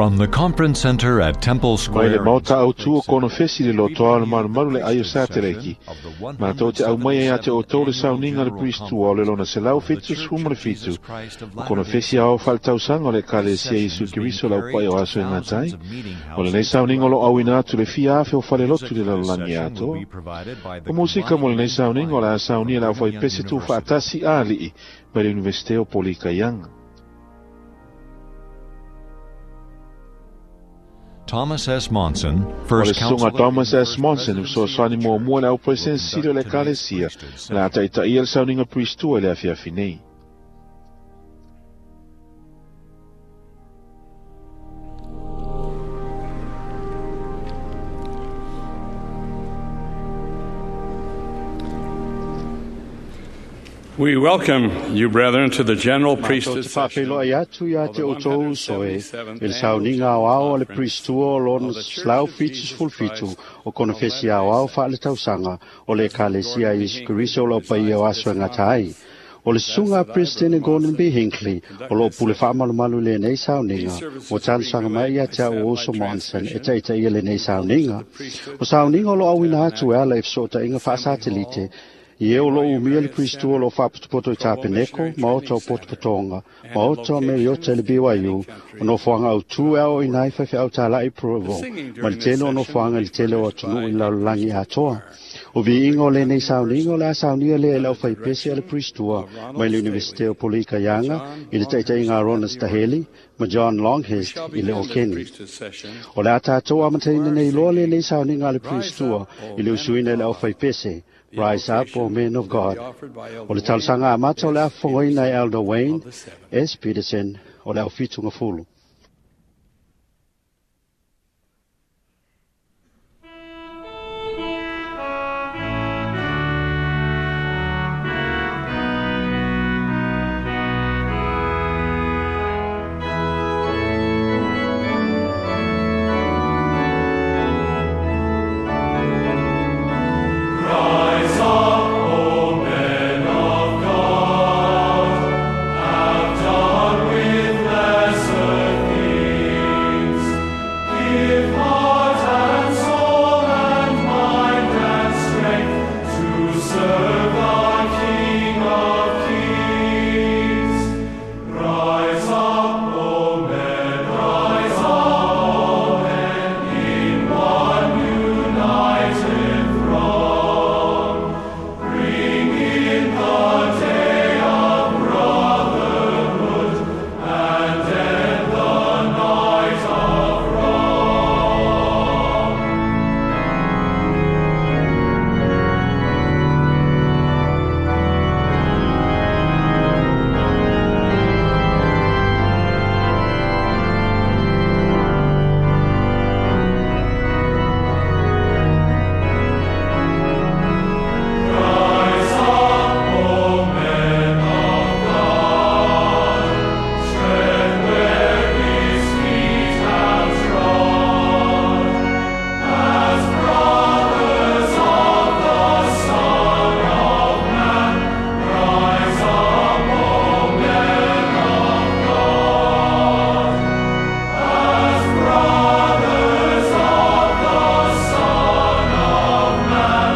From the Conference Center at Temple Mai Square. le maota in au tu o Salt Lake konofesi City, le lotoa o le we bring you malumalu le the ai o priesthood sateleki. session of the Mātou te au mai ai ate o tō le 177th sauniga le Annual Priestua o le lona selau of the fitu Church sfumu le of Jesus fitu. Christ of O Latter-day konofesi ao Saints. whaltausaga o le This Ekalesia session Iesu is being Keriso lau carried pai o to aso e thousands ngatai. of meeting O lenei houses sauniga o throughout lo the auina world. atu le fia afe o Music falelotu le for this lalolagi session will atoa. be provided by the O musika mo Combined lenei Youth sauniga o le a Choir saunia from le au Brigham Young whaipese tu University. whaatasi alii mai le Universite o Polikaianga. Thomas S. Monson, O le First susuga Counselor in Thomas the S. First Monson, Presidency of fesoasoani the muamua Church, le au will presidente o le conduct tonight's Ekalesia, priesthood o le a session. taitaia le sauniga Priestua i le afiafi nei. We welcome you, brethren, to the general Matou priesthood te session whawheloai atu ia of te the o tōu soe, 177th i le Annual sauniga General ao ao o le Conference Priestua o lona of the Church selau of fitu Jesus sefulu fitu Christ o of konofesi Latter-day ao ao Saints. whaale tausaga o le President Ekalesia Gordon B. Iesu Hinckley Keriso o lau paia o presides aso e this ngata ai. conference. O le susuga a That's that I, President Brother Gordon B. Monson, Hinckley o conduct loo this pule session. whaamalumalu lenei These sauniga, ua services are being talosaga mai relayed ia by te au satellite oso Monson e transmission taitaia lenei from holders of sauniga. the priesthood O sauniga o gathered lo in the auina atu e ala i tabernacle, fesootaiga Assembly faasatelite, Hall, i e o loo BYU umia le Marriott Priestua o Center, loo faapotopoto i Provo Tapeneko, Missionary maota Training o Center, Potopotoga, and in maota o Meriota i le locations in many BYU, o countries nofoaga autū e throughout the ao ina ai world. faifeau talai The Provo, singing ma le during this tele o session will nofoaga i be le tele o furnished atunuu by i le a lalolagi priesthood atoa. choir O from viiga o Brigham lenei Young sauniga o le a University saunia lea i le under the aufaipese a le direction Priestua of mai Ronald le Staley Universite o and Polikaianga John i le taitaiga Longhurst a at Ronald the Staheli organ. ma John We Longhurst shall i le begin this Okeni. priesthood session O le a tātou with the amataina choir nei loa singing, lenei sauniga a le Rise Priestua Up, O i le Men of usuina i le God. aufaipese, The Rise Up, O invocation Men of will be God. offered by O Elder le Wayne talosaga amata o le S. afofogoina e Peterson Elder Wayne of the Seven. S. Peterson o le aufitu fulu. Rise up, O men of God, have done with lesser things. Give heart and soul and mind and strength to serve the King of Kings. Rise up, O men, rise up, O men, in one united throng. Bring in the day of brotherhood and end the night of wrong. Rise up, O men of God, tread where His feet have trod. As brothers of the Son of Man, rise up, O men of God. As brothers of the Son of Man,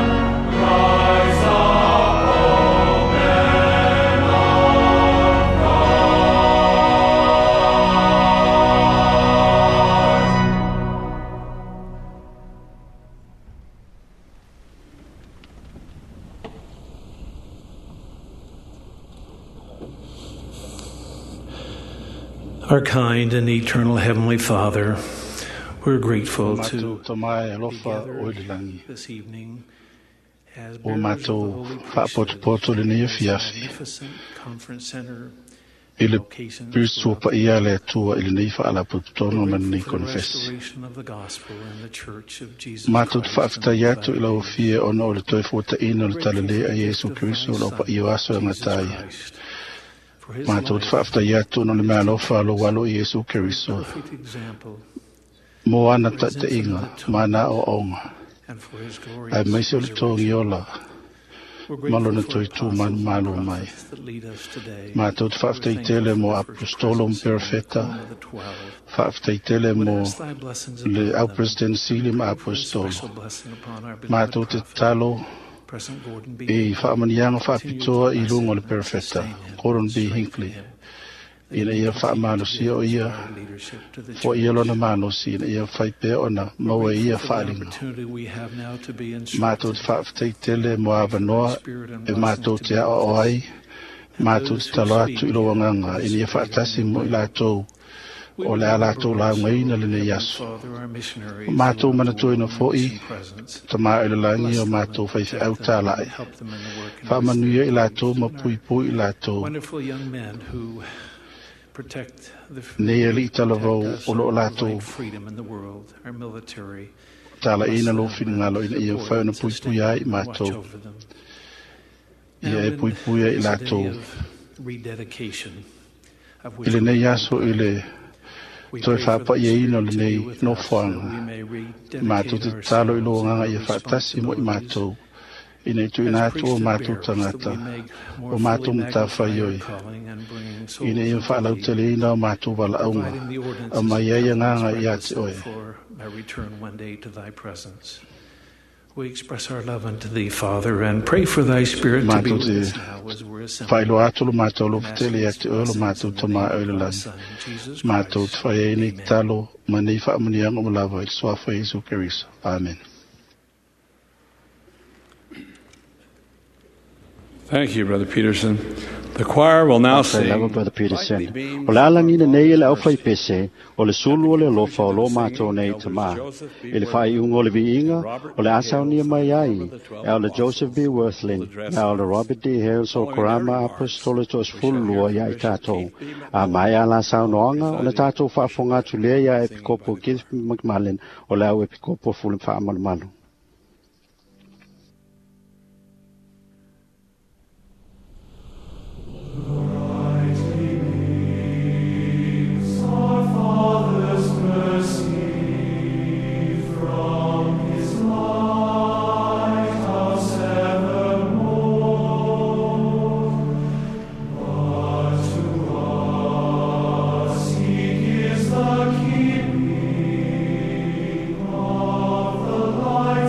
rise up, O men of God. Our kind and eternal Heavenly Father, we're grateful Matou to tamae be alofa o i gathered le lagi. this evening as O bearers of the matou holy priesthood faapotopoto lenei in this afiafi. magnificent conference center I and le locations Priestua throughout the paia world. le Atua i lenei faalapotopotoga We're ma grateful lenei for the konofesi. restoration of the gospel and the church of Jesus Matou te Christ in faafetai these atu i latter lau days. fia ona o le toe fuataina o We're le grateful for talalē the a gift Iesu of thy Keriso o lau Son, paia o aso e Jesus gatai. Christ, for his Matou te life, faafetai atu ona o le his mealofa a lou teachings, alo i Iesu and Keriso. perfect example, Mo ana for his taitaiga, infinite ma ana atonement, aoaoga. and for his Ae glorious maise o le togi resurrection. ola. We're Ma lona grateful for toe apostles tu and manumalo mai. prophets that lead us today. Mātou te We're faafetai tele thankful mo for the first apostolo ma presidency and the perofeta. quorum of the 12. Faafetai tele Would mo ask thy blessings le upon au them. president sili ma Pray for a apostolo. special blessing upon our beloved Mātou te prophet, tatalo President Gordon B. i Hinckley. faamaniaga Continue to faapitoa i bless luga o him le and perofeta sustain him Gordon and B. strengthen Hinckley him, that ina he ia may continue to faamalosia give o ia inspired leadership to the foia church. lona malosi ina ia fai pea ona We're maua e ia grateful for the faaliga. opportunity we have now to be Mātou te instructed. faafetai tele mo Pray for thy avanoa spirit and e blessings mātou to te be ao with o us. ai, And mātou those te who talo atu speak i lo agaga with ina ia this greater faatasi mo i name. latou We o le a remember latou also, laugaina lenei Heavenly aso. Father, our missionaries Mātou throughout the manatuaina world in fo'i, mission presence. tamā i le lagi Bless o them mātou and protect faifeau them and tālai. help them in the work in which they Faamanuia are i latou engaged. ma And our puipui i latou. wonderful young men who protect the Nei alii protect talavou us o loo and latou provide freedom in the world, our military. talaina Bless lou them and finagalo ina ia support mafai ona and sustain puipuia ai them i and watch mātou. over them. Now Ia e in puipuia i this day latou. of rededication, of I which we lenei are aso i le we toe pray for thy faapaiaina o Spirit to be lenei with us that we nofoaga. may Mātou rededicate te tatalo i ourselves lo and agaga our ia faatasi mo i responsibilities mātou. Ina i tuuina as atu o priesthood mātou bearers, that tagata, we may more o fully mātou magnify matawhaioi. our calling and bringing Ina souls ia unto thee, faalauteleina o mātou valaauga, providing the a ordinances mai and ai covenants agaga ia te requisite oe. for my return one day to thy presence. We express our love unto thee, Father, and pray for thy Spirit to be Mātou with te us now as we're assembled. whailo atu lo mātou lo And ask fatele ia these te oe lo blessings mātou in the tama name oe le of thy lagi. Son, Jesus Mātou te Christ. whai nei Amen. talo ma nei whaamunianga o lava i le suafa Iesu Keriso. Amen. Thank you, Brother Peterson. The choir will now Faafetai lava sing Brother Peterson. Brightly Beams O le Our alagina nei e le Father's aufai Mercy. pese, o le sulu o le alofa o lo mātou nei Elders tamā. Joseph B. I le Worthman whaiunga o le viiga, and Robert o le D. asaunia Hales mai of the ai, Quorum of the e 12 o le Joseph B. Apostles will Worthlin, address na o le us. Robert D. Hales o Following their Korama remarks, Apostolo to we shall hear sefululua from ia i Bishop tātou. Keith B. A McMullen, mai a la saunoaga, o le presiding tātou bishop. faafofoga atu lea ia Singing by Epikopo the Keith choir. McMullen, o le au Epikopo fule whaamalumalu. Brightly beams our Father's mercy from His lighthouse evermore. But to us He gives the keeping of the light.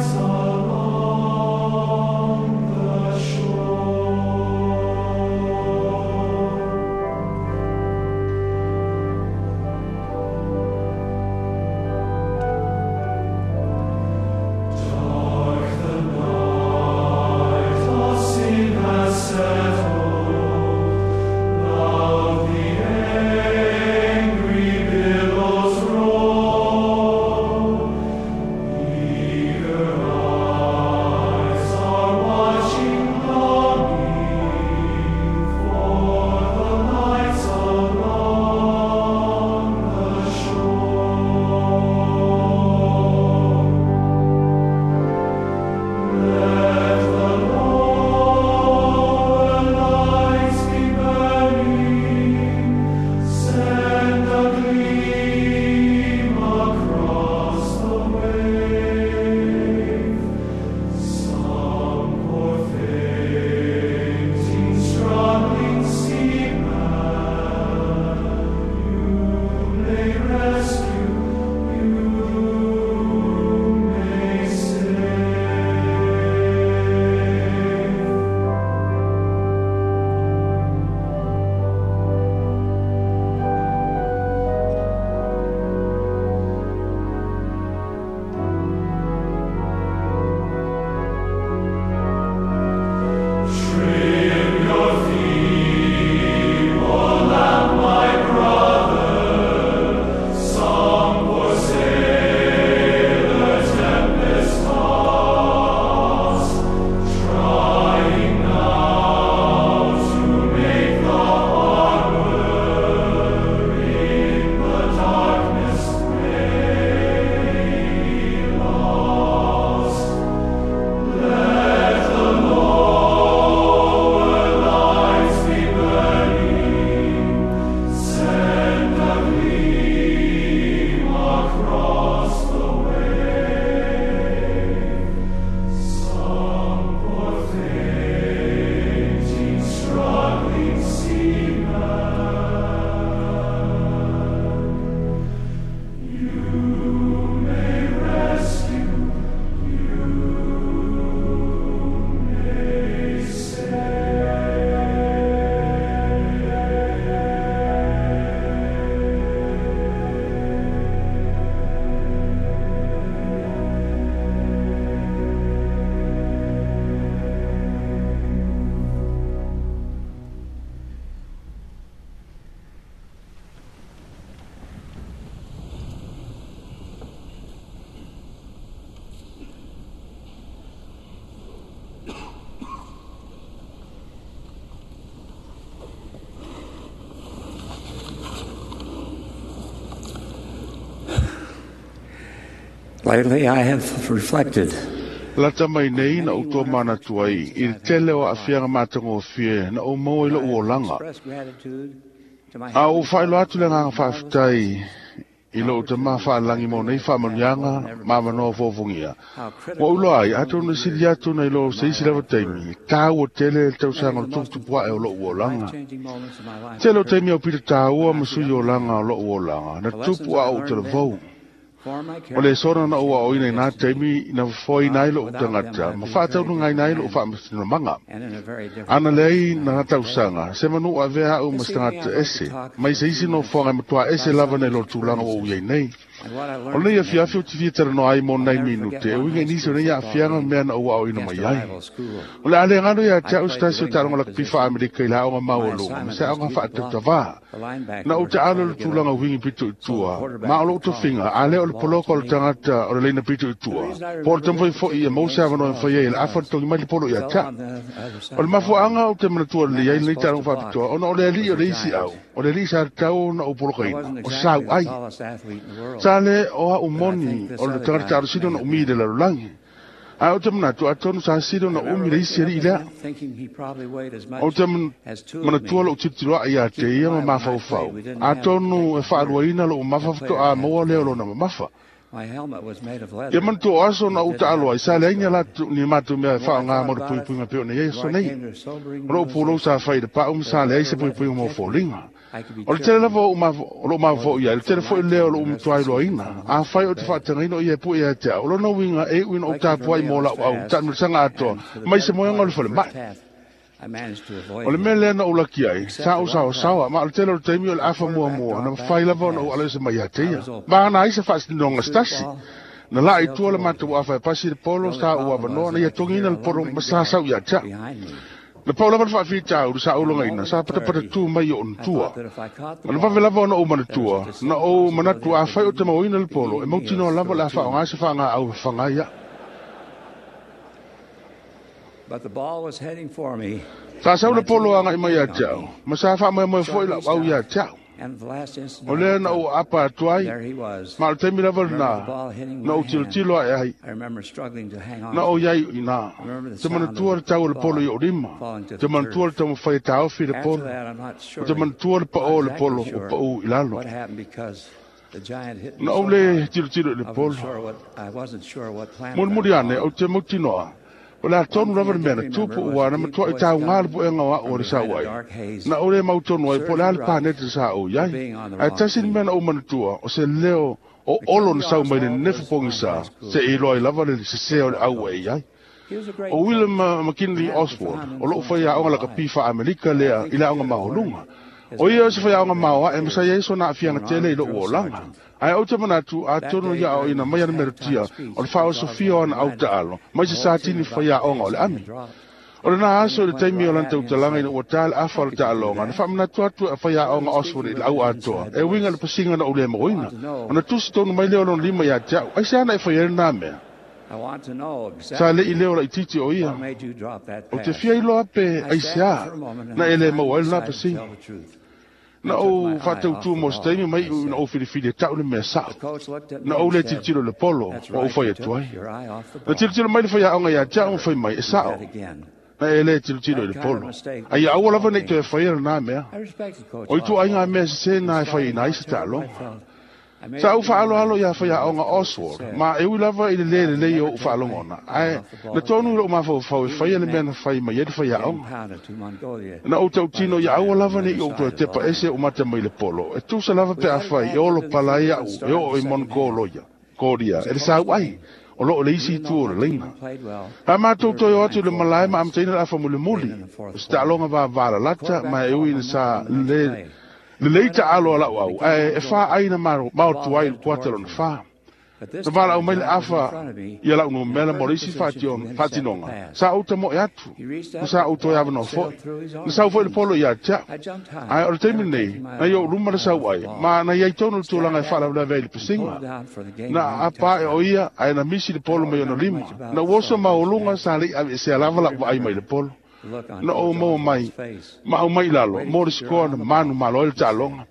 Lately, I have reflected Lata mai nei na ou tomanatu ai i le tele o aafiaga matagofie na ou maua i lou olaga. express gratitude to my A ou faailoa atu le agaga faafetai i lou tamā faalagi mo nei faamanuiaga ma avanoa fofogia. Ua ou iloa ai, atonu e sili atu nai lo se isi lava taimi, tāua tele le tausaga o le tuputupu ae o lou olaga. changing moments in my life. Tele o taimi au pito tāua ma sui olaga o lou olaga, na tupu a ou talavou. Form my O le sona na ua o ina i nā taimi na fofoina ai lou tagata, ma faataunuga ai lou faamasinomaga. and in a very different Ana leai na tausaga, se manu avea au ma se tagata ese, mai se isi nofoaga e matua ese lava nei lo tulaga ua ou iai nei. and what I O learned lenei afiafi o te fia talanoa ai mo nai minute, e uiga i nisi o nei aafiaga ma mea na ou aoina mai against a ai. rival school. O le a le galo ia te au se tasi o taaloga lakapi faa-Amerika i le aoga maualuga, ma se aoga faatautavā. The linebacker Na ou would te try alo to le get tulaga up wingi pito i tua, ma o lou tofiga, a lea o le poloka o le tagata o le leina pito i tua. Po o le taumafai foi ia maua se avanoa e mafai ai e le afa le togi mai le polo ia te au. on the other side O le of the line. mafuaaga o te manatua lelei ai lenei taaloga faapitoa, ona o le alii o le isi au, o le alii sa tatau ona ou I polokaina, wasn't o sa exactly au the ai. tallest athlete in the world. Sa le o au moni o le tagata talosina ona umi i le lalolagi. Ae o te manatu atonu sa sili ona umi le isi alii lea. Thinking he probably weighed as much O te as two of manatua me. lou tilotilo ia te ia ma mafaufau. Atonu e faaluaina lou mamafa faatoa maua lea o lona mamafa. My helmet was made of leather. Ia manatua o aso na ou taalo ai, sa leai ni latou ni matou mea e faaaoga mo le puipuiga pei ona i ai aso nei. O lou pulou sa fai i le pau ma sa leai se puipuiga mo foliga. O le tele lava o o lou mafaufau i ai, le tele foi lea o lou matua iloaina. Afai o te faatagaina o ia e pue ia te au, o lona uiga e iu ina ou tapuai mo lau au taamilosaga atoa, mai se moega o le falemai. I managed to avoid O le him. mea lea na ou laki ai, sa ou saosaoa, ma o le tele o le taimi o le afa muamua, na mafai lava ona ou alo ese mai ia te ia. Ma ana ai se faasinoga se tasi. Na laa i tua le matou afa e pasi le polo, sa ou avanoa, na ia togiina le polo ma sa sau ia te au. behind me. Na pau lava le faafitauli sa ou logaina, sa patapata tu mai o I ona tua. thought that if I caught the Ma le ball, vave lava ona ou manatua, na ou manatu afai o te mauina le polo, e mautinoa lava le a faaaoga se faagaau e faga ia. but the ball was heading for me, Sa sau le polo agai mai ia te au, ma sa faamoemoe foi lau au ia te au. and the last instant O I lea looked na ou up, apa atu ai, there he was. ma o le taimi lava Remember the lena, ball hitting na my ou tilotilo ae ai, I remember struggling to hang on. na ou iai i nā. Remember the Te sound manatua of le tau o le the polo i ball o lima, falling to te the manatua le turf. taumafai e taofi le After polo, that, I'm not o sure te manatua le pao o le exactly polo o sure pau i lalo. what happened because the giant hit me Na so ou le hard, tilotilo i le I wasn't polo. sure what I wasn't sure what planet I Mulimuli was ane, on. o te mautinoa, o le a tonu lava le mea na tupu ua na matua i taugā le puega o au o le sau ai. Na ou le mautonu ai, po o le a le panete sa ou i ai. Ae tasi le mea na ou manatua, o se leo o olo na sau mai le nefu pogisa, se i iloa ai lava le sesē o le au e i ai. He was a great O William coach. McKinley And had a Oswald, profound o lou influence fai on aoga my lakapi life. faa-Amerika lea i le aoga maoluga. O ia o se faiaoga maoae ma sa iai sona aafiaga tele i lou olaga. Ae ou te manatu atonu ia aoina mai ana metotia o le faaosofia o ana au taalo, mai se satini faiaoga o le ami. O lena aso i le taimi o lana tautalaga ina ua tā le afa o le taaloga, na faamanatu atu e faiaoga Oswald i le au atoa, e uiga i le pasiga na ou le mauina. Ona tusi tonu mai lea o lona lima ia te au, aisea na e fai ai lenā mea. I want to know Sa exactly le'i leo laitiiti o ia. what made you drop that O te pass. fia iloa pe I aisea sat for a moment and na e le finally maua ai lenā decided to pasiga. tell the truth. Na I took ou my eye off faatautū the mo se ball, taimi mai I i na said. ou filifili e tau le mea sa'o. The coach looked at me Na ou and le said, tilotilo i le polo That's ua ou right, fai you atu took ai. your eye off the Na ball. tilotilo mai le faiaoga ia te au ma fai mai e Do sa'o. that again. Na e le tilotilo i That le kind of polo. mistake Ai aua lava nei me. toe faia lenā mea. I respected Coach O itu aiga Oswald. mea sesē na e Despite faiaina how ai se terrible I taaloga. felt, I made Sa up ou my faaaloalo mind ia to do what faiaoga the coach had Oswald, said. ma e ui lava i le lē I would lelei o never ou take my faalogona. eye Ae off the ball na tonu i again. lou mafaufau e Even faia if le it mea meant na fai mai ai le getting faiaoga. pounded to Mongolia Na ou by the tautino ia giant aua on the lava other nei ou side toe of the tepa line. ese o mata mai le polo. E tusa lava We pe a headed fai, e back olo into the pala field ai and au, e started oo the i second half. Mongolia, Korea, It e was le a sau close ai, game. o loo le isi Even itu though o le my laina. team played well, A we mātou were toe o atu behind i le 4 malae ma points amataina le afa late mulimuli. in the O fourth se quarter. taaloga The vavalalata quarterback ma e called ui my ina number sa on the next le play. lelei Right ta after alo a him, lau the au, game ae e was fā over. ai na The mao ball atu ai le headed kuata towards lona me. fā. But this Na vala time au the mai le giant was in afa front of me ia lau in a numera mo le perfect isi position to intercept the faatinoga. pass. Sa ou tamoe atu, He reached ma up sa with ou the toe ball avanoa that sailed foi. through his Na sau foi le arms. polo ia te au. I jumped Ae high, o le taimi never lenei, taking my na i ou luma le eye sau off the ai, ball. ma na iai tonu le tulaga e Stabbed at it faalavelave ai le and pulled pasiga. it out for the Na game-winning apa e o touchdown. ia, ae na misi le I polo don't mai ona remember lima. much about Na the uoso celebration maoluga sa afterward. lei avesea I lava do lau vaai mai remember le polo. the look on Na ou Coach maua Oswald's mai, face. ma au mai i lalo, Way to mo le keep your sikoa eye na on the manu ball, malo ai le he said. taaloga.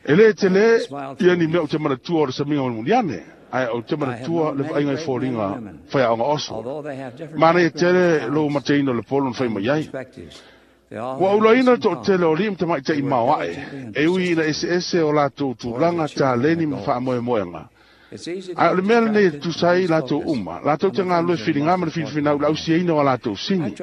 E lē telē Smiled ia through ni mea me. ou te manatua o le samiga mulimuli ane. Ae ou te manatua le vaaiga i foliga faiaoga Oswald. Manaia tele lou mateina o le polo na fai mai ai. Ua ou iloaina le toatele o alii ma tamaitai maoae, e ui ina eseese o latou tulaga, taleni ma faamoemoega. Ae o le mea lenei e tutusa ai i latou uma, latou te galulue filiga ma le filifinau i le ausiaina o a latou sini.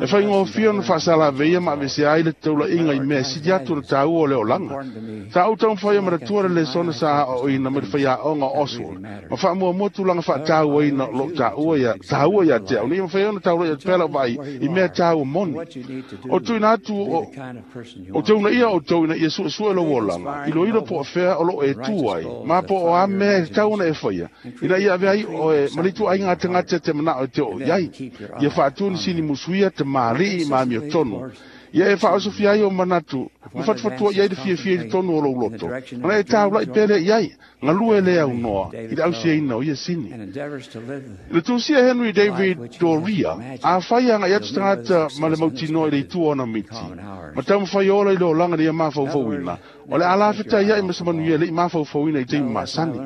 E faigofie ona faasalaveia ma aveesea ai le taulaiga i mea e sili atu ona taua o le olaga. Sa ou taumafai e manatua le lesona sa aoaoina mai le faiaoga o Oswald ma faamuamua tulaga faatauaina o lo o taua ia taua ia te au ina ia mafai ai ona taulai atu pea lau vaai i mea taua moni. O tuuina atu o Ou te uunaia outou ina ia suesue lou olaga, iloilo po o fea o lo o e tu ai, ma po o a mea e tatau ona e faia, ina ia avea ai oe ma le ituaiga tagata e te manao e te oo i ai. Ia faatu ni sini musuia, tamalii ma amiotonu. Ia e faaosofia ai ou manatu, ma fatufatua i ai le fiafia i totonu o lou loto, ona e taulai pea lea i ai, galue le aunoa i le ausiaina o ia sini. I le tusia Henry David Doria, afai e agai atu se tagata ma le mautinoa i le itu o ana miti, ma taumafai ola i le olaga ina ia mafaufauina, o le a lafetaia'i ma se manuia e le i mafaufauina i taimi masani.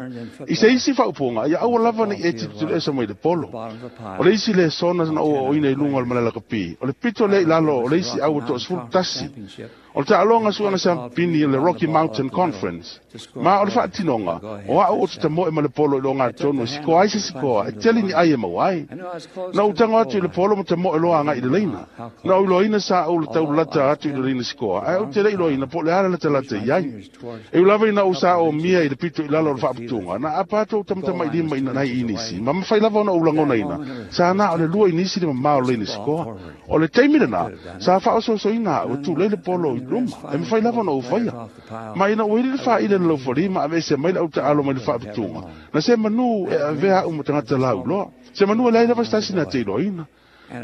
I se isi faaupuga, ia aua lava ne i e tilotilo ese mai le polo. O le isi lesona na ou aoaoina i luga o le malelakapi, o le pito lea i lalo o le isi au ua 11, O le taaloga suega siampini o le Rocky Mountain Conference, ma o le faatinoga, o a'u ou te tamoe ma le polo i le ogatotonu e sikoa ai se sikoa e tele ni ai e maua ai. Na ou tago atu i le polo ma tamoe loa agai i le laina. Na ou iloaina sa ou taulalata atu i le laina sikoa, ae ou te le iloaina po o le a le latalata i ai. E ui lava ina ou saomia i le pito i lalo o le faaputuga, na aapa atu ou tamatamailima i nai inisi, ma mafai lava ona ou lagonaina, sa na o le 2 inisi le mamao o le laina sikoa. O le taimi lena, sa faaosoosoina au e tulei le polo i luma, e mafai lava ona ou faia. Ma ina ua ili le faaile i le laufali ma aveesea mai le autaalo mai le faaputuga, na se manu e avea au ma tagata lauiloa. Se manu e leai lava se tasi na te iloaina.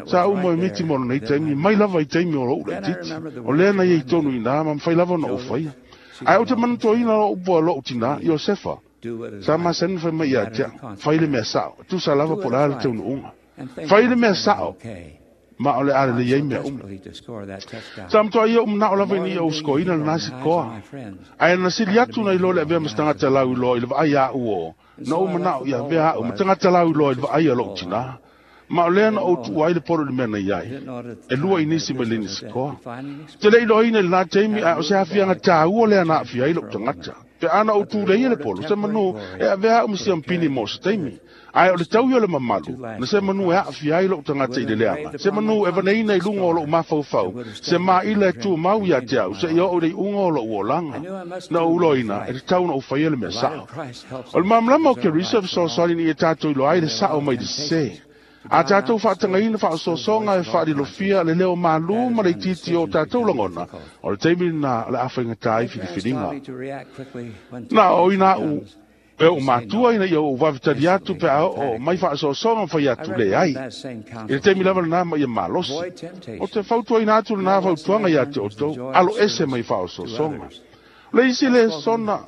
Sa ou moemiti mo lenei taimi, mai lava i taimi o lou laitiiti. O lea na i ai tonu i ina ma mafai lava ona ou faia. Ae ou te manatuaina loa upu a lou tinā, Iosefa, sa masani ona fai mai ia te au, Fai le mea sao, e tusa lava po o le a le taunuuga. Fai le mea sao, ma o le a lelei ai mea uma. Sa matua ia ou manao lava ina ia ou sikoaina lena sikoa. Ae na sili atu nai lo le avea ma se tagata lauiloa i le vaai a au o, na ou manao ia avea a'u ma tagata lauiloa i le vaai a lou tinā. Ma o lea na ou tuua ai le polo i le mea na i ai, e 2 inisi mai le sikoa. Ou te le iloaina i lena taimi, ae o se aafiaga taua lea na aafia ai lou tagata. Pe a na ou tuleia le polo, se manu e avea a'u ma siampini mo se taimi. Ae o le taui o le mamalu, na se manu e aafia ai lou tagata i le leaga, se manu e vaneina i luga o lou mafaufau, se maila e tumau ia te au seia oo i le iuga o lou olaga. Na ou iloaina, e tatau ona ou faia le mea sao. O le malamalama o Keriso e fesoasoani ina ia tatou iloa ai le sao mai le sese. A tatou faatagaina faaosoosoga e faalilofia le leo malū ma le itiiti o tatou lagona, o le taimi lena o le a faigata ai filifiliga. Na aoaoina a'u e oʻu matua ina ia ou vave tali atu pe a oo mai faaosoosoga ma fai atu leai. I le taimi lava lena ma ia malosi. Ou te fautuaina atu lena fautuaga ia te outou, alo ese mai faaosoosoga. O le isi lesona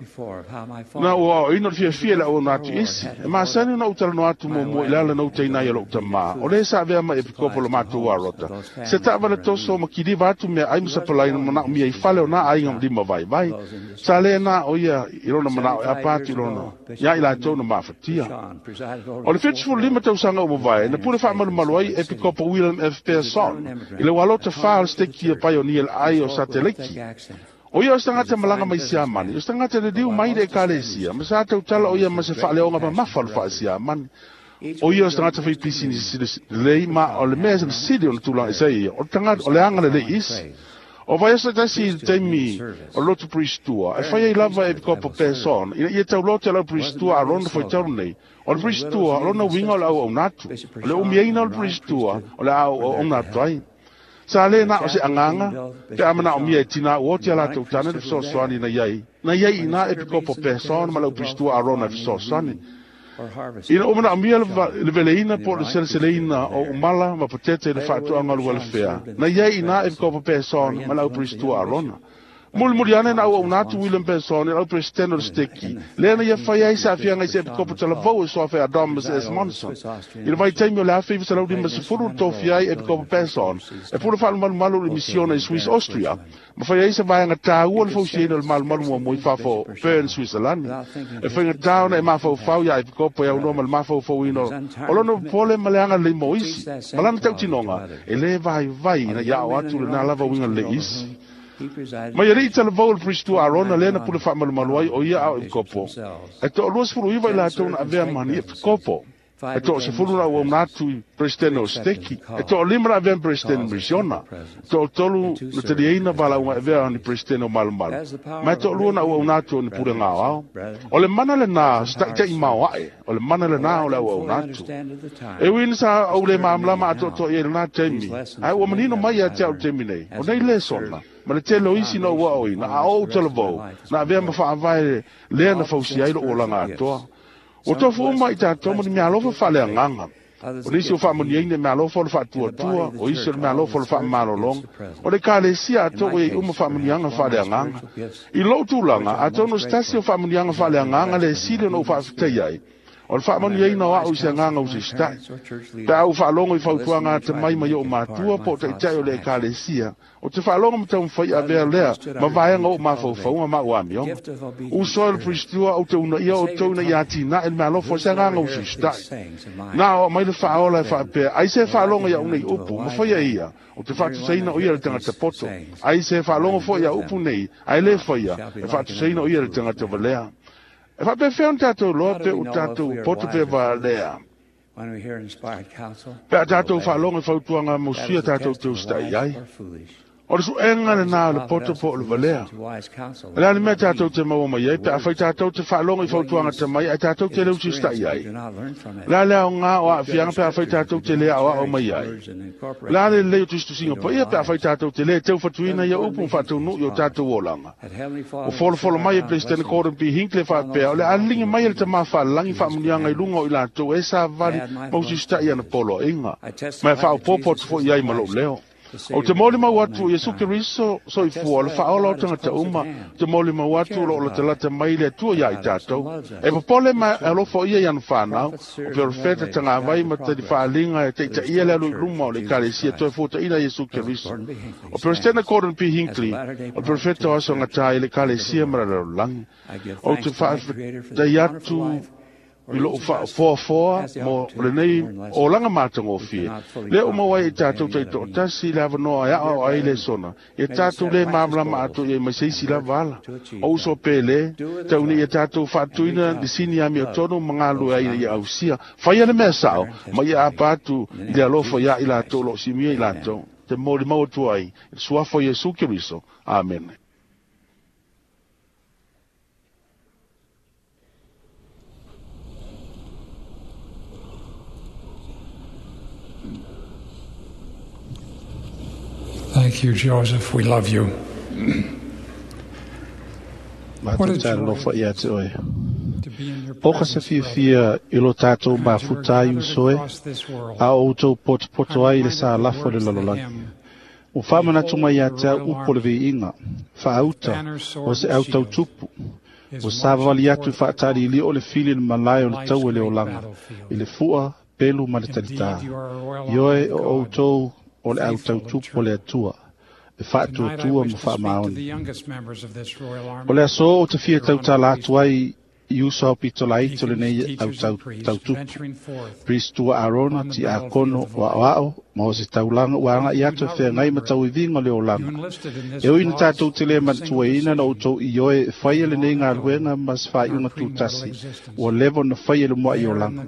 na ua aoaoina o le fiafia i le auauna atu i isi. E masani ona ou talanoa atu muamua i le ala na utaina ai e lou tamā, o lē sa avea mai e pikopo lo matou alota, se taavale toso ma kiliva atu meaai ma sapalai na manaomia i fale o nā aiga lima vaivai. Sa le na o ia i lona manao e apa atu i lona ia i latou na mafatia. O le 75 tausaga ua mavae, na pule faamalumalu ai e pikopo William F. Pearson i le ualota 4 o le siteki a Pioneer le ai o Sateleiki. O ia o se tagata malaga mai Siamani, o se tagata liliu mai le Ekalesia, ma sa tautala o ia ma se faaleoga mamafa o le faa-Siamani. O ia o se tagata faipisinisi lelei, ma o le mea na sili ona tulaga ese ai ia, o le tagata, o le agalelei isi. O vaiaso tasi i le taimi o le lotu Pristua, e fai ai lava e Epikopo Peson, ina ia tauloa te lau Pristua a lona faitalu nei. O le Pristua, o lona uiga o le auauna atu. O le umiaina o le Pristua, o le a auauna atu ai. Sa le na o se agaga, pe a manaomia e tinā ua oti a latou tane le fesoasoani na i ai, na i ai i ina Epikopo Peson ma le Upristua Arona e fesoasoani. Ina ua manaomia le veleina po o le seleseleina o umala ma patete i le faatoaga o le ualefea, na i ai i ina Epikopo Peson ma le Upristua Arona. Mulimuli ane na auauna atu William Benson i le au Peresetene o le Seteki, lea na ia faia ai se aafiaga i se Epikopo talavou e suafa ia Thomas S. Monson. I le vaitaimi o le 1950 na tofia ai Epikopo Benson e pule faalumalumalu i le misiona i Swiss Austria, ma faia ai se vaega taua le fausiaina o le malumalu muamua i fafo o Bern, Suisalani. E faigata ona e mafaufau iā Epikopo e aunoa ma le mafaufauina o lona popole ma le agalelei mo isi, ma lana tautinoga e lē vaivai ina ia ao atu lenā lava uiga lelei i isi. Mai alii talavou o le Priest Arona lea na pule faamalumalu ai o ia a o Epikopo. E toa-29 i latou na avea ma ni Epikopo. E toa-10 na auauna atu i Peresetene o Seteki. E toa-5 na avea ma Peresetene Misiona. E toa-3 na taliaina valaauga e avea ni Peresetene o Malumalu. Ma e toa-2 na auauna atu o ni Pulega Aoao. O le mana lenā o se ta'ita'i maoa'e, o le mana lenā o le auauna atu. E ui ina sa ou le malamalama atoatoa i ai i lenā taimi, ae ua manino mai ia te au i le taimi nei, o nei lesona, ma le tele o isi na ou aoina, a o ou talavou, na avea ma faavae lea na fausia ai lo'u olaga atoa. Ua tofu uma i tatou ma ni meaalofa faaleagaga. O nisi ua faamanuiaina i meaalofa o le faatuatua, o isi o le meaalofa o le faamamalologa. O le Ekalesia atoa ua i ai uma faamanuiaga faaleagaga. I lou tulaga, atonu o se tasi o faamanuiaga faaleagaga le sili ona ou faafetaia ai, o le faamanuiaina o a'u i se agaga usita'i. Pe a ou faalogo i fautuaga atamai mai o'u matua po o taitai o le Ekalesia, ou te faalogo ma taumafai avea lea ma vaega o o'u mafaufauga ma a'u amioga. Uso e le Priest-ua, ou te uunaia outou ina ia atinae le meaalofa o se agaga usita'i. Na o aumai le Faaola e faapea, Ai se faalogo i a'u nei upu, ma faia ia, ou te faatusaina o ia le tagata poto. Ai se faalogo foi i a'u upu nei, ae lē faia, e faatusaina o ia le tagata valea. E faapefea ona tatou iloa pe ua tatou poto pe valea? Pe a tatou faalogo i fautuaga mosia tatou te usitai ai. O le suega lenā o le poto po o le valea. O le a le mea tatou te maua mai ai pe afai tatou te faalogo i fautuaga atamai ae tatou te le usitai ai? O le a le aoga o aafiaga pe afai tatou te le aoao mai ai? O le a le lelei o tusitusiga paia pe afai tatou te le teufatuina ia upu ma faataunuu i o tatou olaga? Ua folofolo mai e Peresetene Gordon B. Hinckley faapea, o le a liliga mai e le Tamā Faalelagi faamuniaga i luga o i latou e savali ma usiusitai i ana poloaiga, ma e faaopoopo atu foi i ai ma lou leo. Ou te molimau atu o Iesu Keriso soifua, o le Faaola o tagata uma, ou te molimau atu o lo o latalata mai le Atua iā i tatou. E popole ma e alofa o Ia i ana fanau, o perofeta, tagavai ma talifaaliga e taitaia le alu i luma o le Ekalesia toe fuataina Iesu Keriso. O Peresetene Gordon P. Hinckley, o le perofeta o aso gata i le Ekalesia ma le lalolagi. Ou te faafetai atu i lou faafoafoa mo lenei olaga matagofie, lea ua maua ai e tatou taitoatasi le avanoa e aoao ai lesona, ia tatou le malamalama atoa i ai mai se isi lava ala. O uso pele, tau ina ia tatou faatuina le sini amiotonu ma galulue ai ina ia ausia. Faia le mea sao, ma ia apa atu i le alofa iā i latou o lo o simia i latou, te molimau atu ai i le suafa o Iesu Keriso. Amene. Thank you, Joseph. We love you. Matou te alofa ia te oe. O ka se fiafia i lo tatou mafuta ai uso e, a o outou potopoto ai i le sa lafo o le lalolagi. Ua faamanatu mai ia te au upu o le viiga, faauta o se au tautupu, ua savavali atu i faataliilio o le fili i le malae o le taua i le olaga, i le fua, pelu ma le talitā. Ioe o outou o le au tautupu o le Atua, e faatuatua ma faamaoni. O le aso ou te fia tautala atu ai i uso aupito laiti o lenei au tautupu, Priest Tua Arona, Tiakono o Aoao, ma o se taulaga ua aga'i atu e feagai ma tauiviga o le olaga. E ui ina tatou te le manatuaina na outou ioe e faia lenei galuega ma se faaiuga tutasi ua leva ona faia i le mua'i olaga.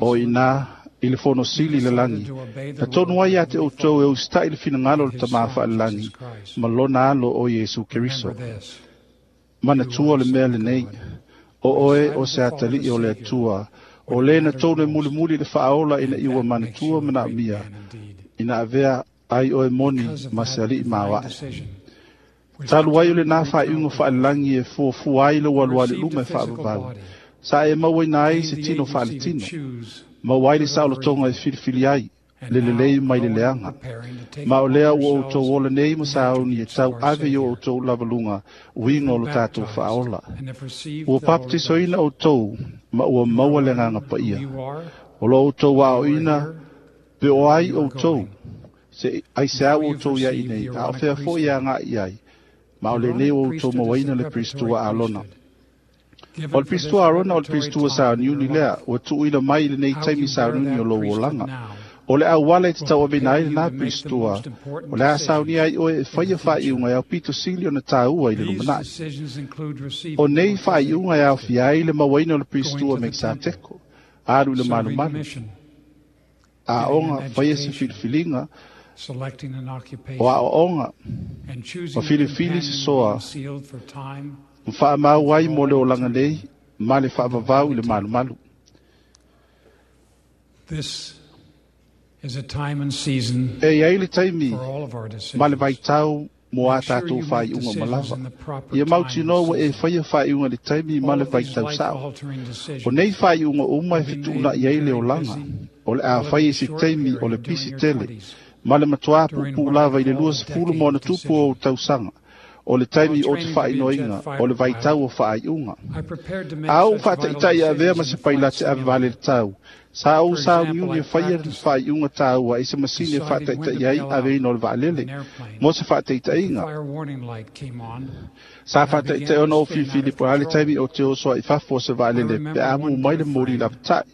O i ina i le fono sili i le lagi, na tonu ai ia te outou e usita'i le finagalo o le Tamā Faalelagi ma lona alo o Iesu Keriso. Manatua le mea lenei, o oe o se atalii o le Atua, o le na tonu e mulimuli i le Faaola ina ia ua manatua manaomia, ina avea ai oe moni ma se alii maoaʻe. Talu ai o lenā faaiuga faalelagi e fuafua ai lou alualu i luma e faavavau, sa e mauaina ai se tino faaletino, maua ai le saolotoga e filifili ai, le lelei mai le leaga. Ma o lea ua outou ola nei ma sauni e tauave i o outou lavaluga uiga o lo tatou faaola. Ua papatisoina outou ma ua maua le agaga paia. O lo outou aoina pe o ai outou, se aiseau outou ia i nei, a o fea foi e agai ai, ma o lenei ua outou mauaina le Pristua Alona. O le Pristua Arona o le Pristua sauniuni lea, ua tuuina mai i lenei taimi sauniuni o lou olaga. O le auala e te tauaveina ai lenā Pristua, o le a saunia ai oe e faia faaiuga e aupito sili ona tāua i le lumanai. O nei faaiuga e aofia ai le mauaina o le Pristua Mekisateko, alu i le malumalu, aoga faia se filifiliga, o aoaoga, ma filifili se soa, ma faamau ai mo le olaga nei, ma le faavavau i le malumalu. E iai le taimi ma le vaitau mo a tātou faaiuga malava. Ia mautinoa ua e faia faaiuga i le taimi ma le vaitau sao. O nei faaiuga uma e fetuunai ai le olaga, o le a fai i se taimi o le pisi tele, ma le matuā puupuu lava i le 20 ma ona tupu o ou tausaga, o le taimi o te faainoina, o le vaitau o faaiuga. A ou faataitai e avea ma se pailate ave vale le tau, sa ou sauniuni e faia le faaiuga tāua i se masini e faataitai ai aveina o le vaalele, mo se faataitaiga. Sa faataitai ona ou filifili po o le a le taimi o te oso ai i fafo o se vaalele pe a mu mai le moli lapatai.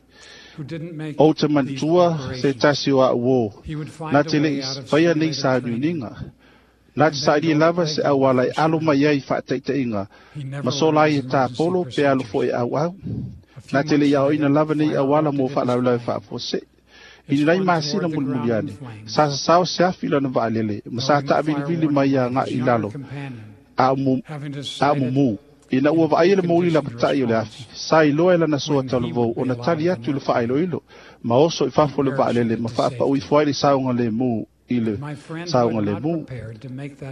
Ou te manatua se tasi o au uō, na te le i faia nei sauniuniga. Na te sailia lava se auala e alo mai ai i faataitaiga, ma sola ai e tāpolo pe alo foi e auau. Na te le i aoaina lava nei auala mo faalavelave faafuasei. I ni nai masina mulimuli ane, sa sasao se afi i lana vaalele, ma sa taavilivili mai agai i lalo, a o mumu. Ina ua vaaia le mouli lapatai o le afi, sa iloa e lana soa talavou ona tali atu i le faailoilo, ma oso i fafo o le vaalele ma faapau ifo ai le saogalemu i le saogalemu.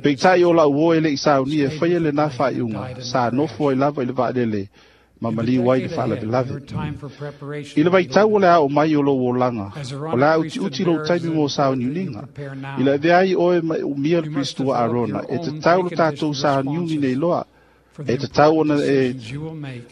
Peitai o lau uo e le i saunia e faia lenā faaiuga, sa nofo ai lava i le vaalele ma maliu ai i le faalavelave. I le vaitau o le a oo mai o lou olaga, o le a utiuti lou taimi mo sauniuniga. I le avea ai oe ma e umia le Pristua Arona, e tatau lo tatou sauniuni nei loa, e tatau ona e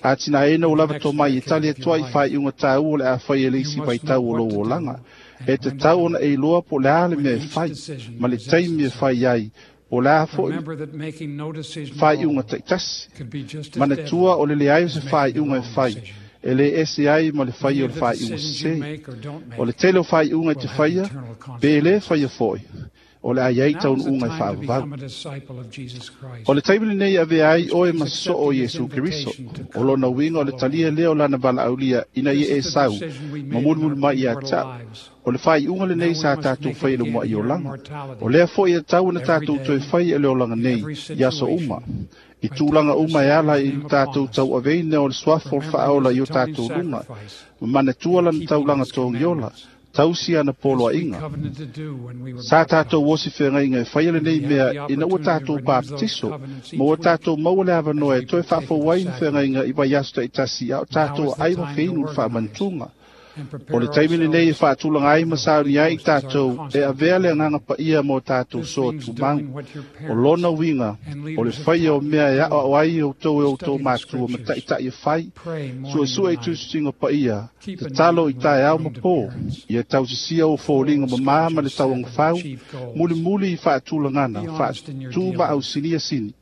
atinaeina ou lava tomai e tali atu ai i faaiuga taua o le a fai e le isi vaitau o lou olaga. E tatau ona e iloa po o le a le mea e fai, ma le taimi e fai ai, po o le a foi faaiuga taitasi. Manatua o le leai o se faaiuga e fai, e le ese ai ma le faia o le faaiuga sese. O le tele o faaiuga e te faia, pe le faia foi, o le a i ai taunuuga e faavavau. O le taimi lenei e avea ai oe ma sosoo o Iesu Keriso. O lona uiga o le talia lea o lana valaaulia ina ia e sau ma mulimuli mai ia te au. O le faaiuga lenei sa tatou faia i le uluai olaga. O lea foi e tatau ona tatou toe faia i le olaga nei i aso uma. I tulaga uma e ala i lo tatou tauaveina o le suafa o le faaola i o tatou luga, ma manatua lana taulaga togiola, tausi ana poloaiga. Sa tatou osi feagaiga e faia lenei mea ina ua tatou papatiso, ma ua tatou maua le avanoa e toe faafou ai ni feagaiga i vaiaso taitasi a o tatou aai ma feinu i le faamanatuga. O le taimi lenei e faatulaga ai ma saunia ai i tatou e avea le Agaga Paia mo tatou soa tumau. O lona uiga, o le faia o mea e aoao ai outou e outou matua ma taitai e fai, suesue i tusitusiga paia, tatalo i taeao ma po, ia tausisia ou foliga mamā ma le tauagafau, mulimuli i faatulagana, faatu ma ausinia sini.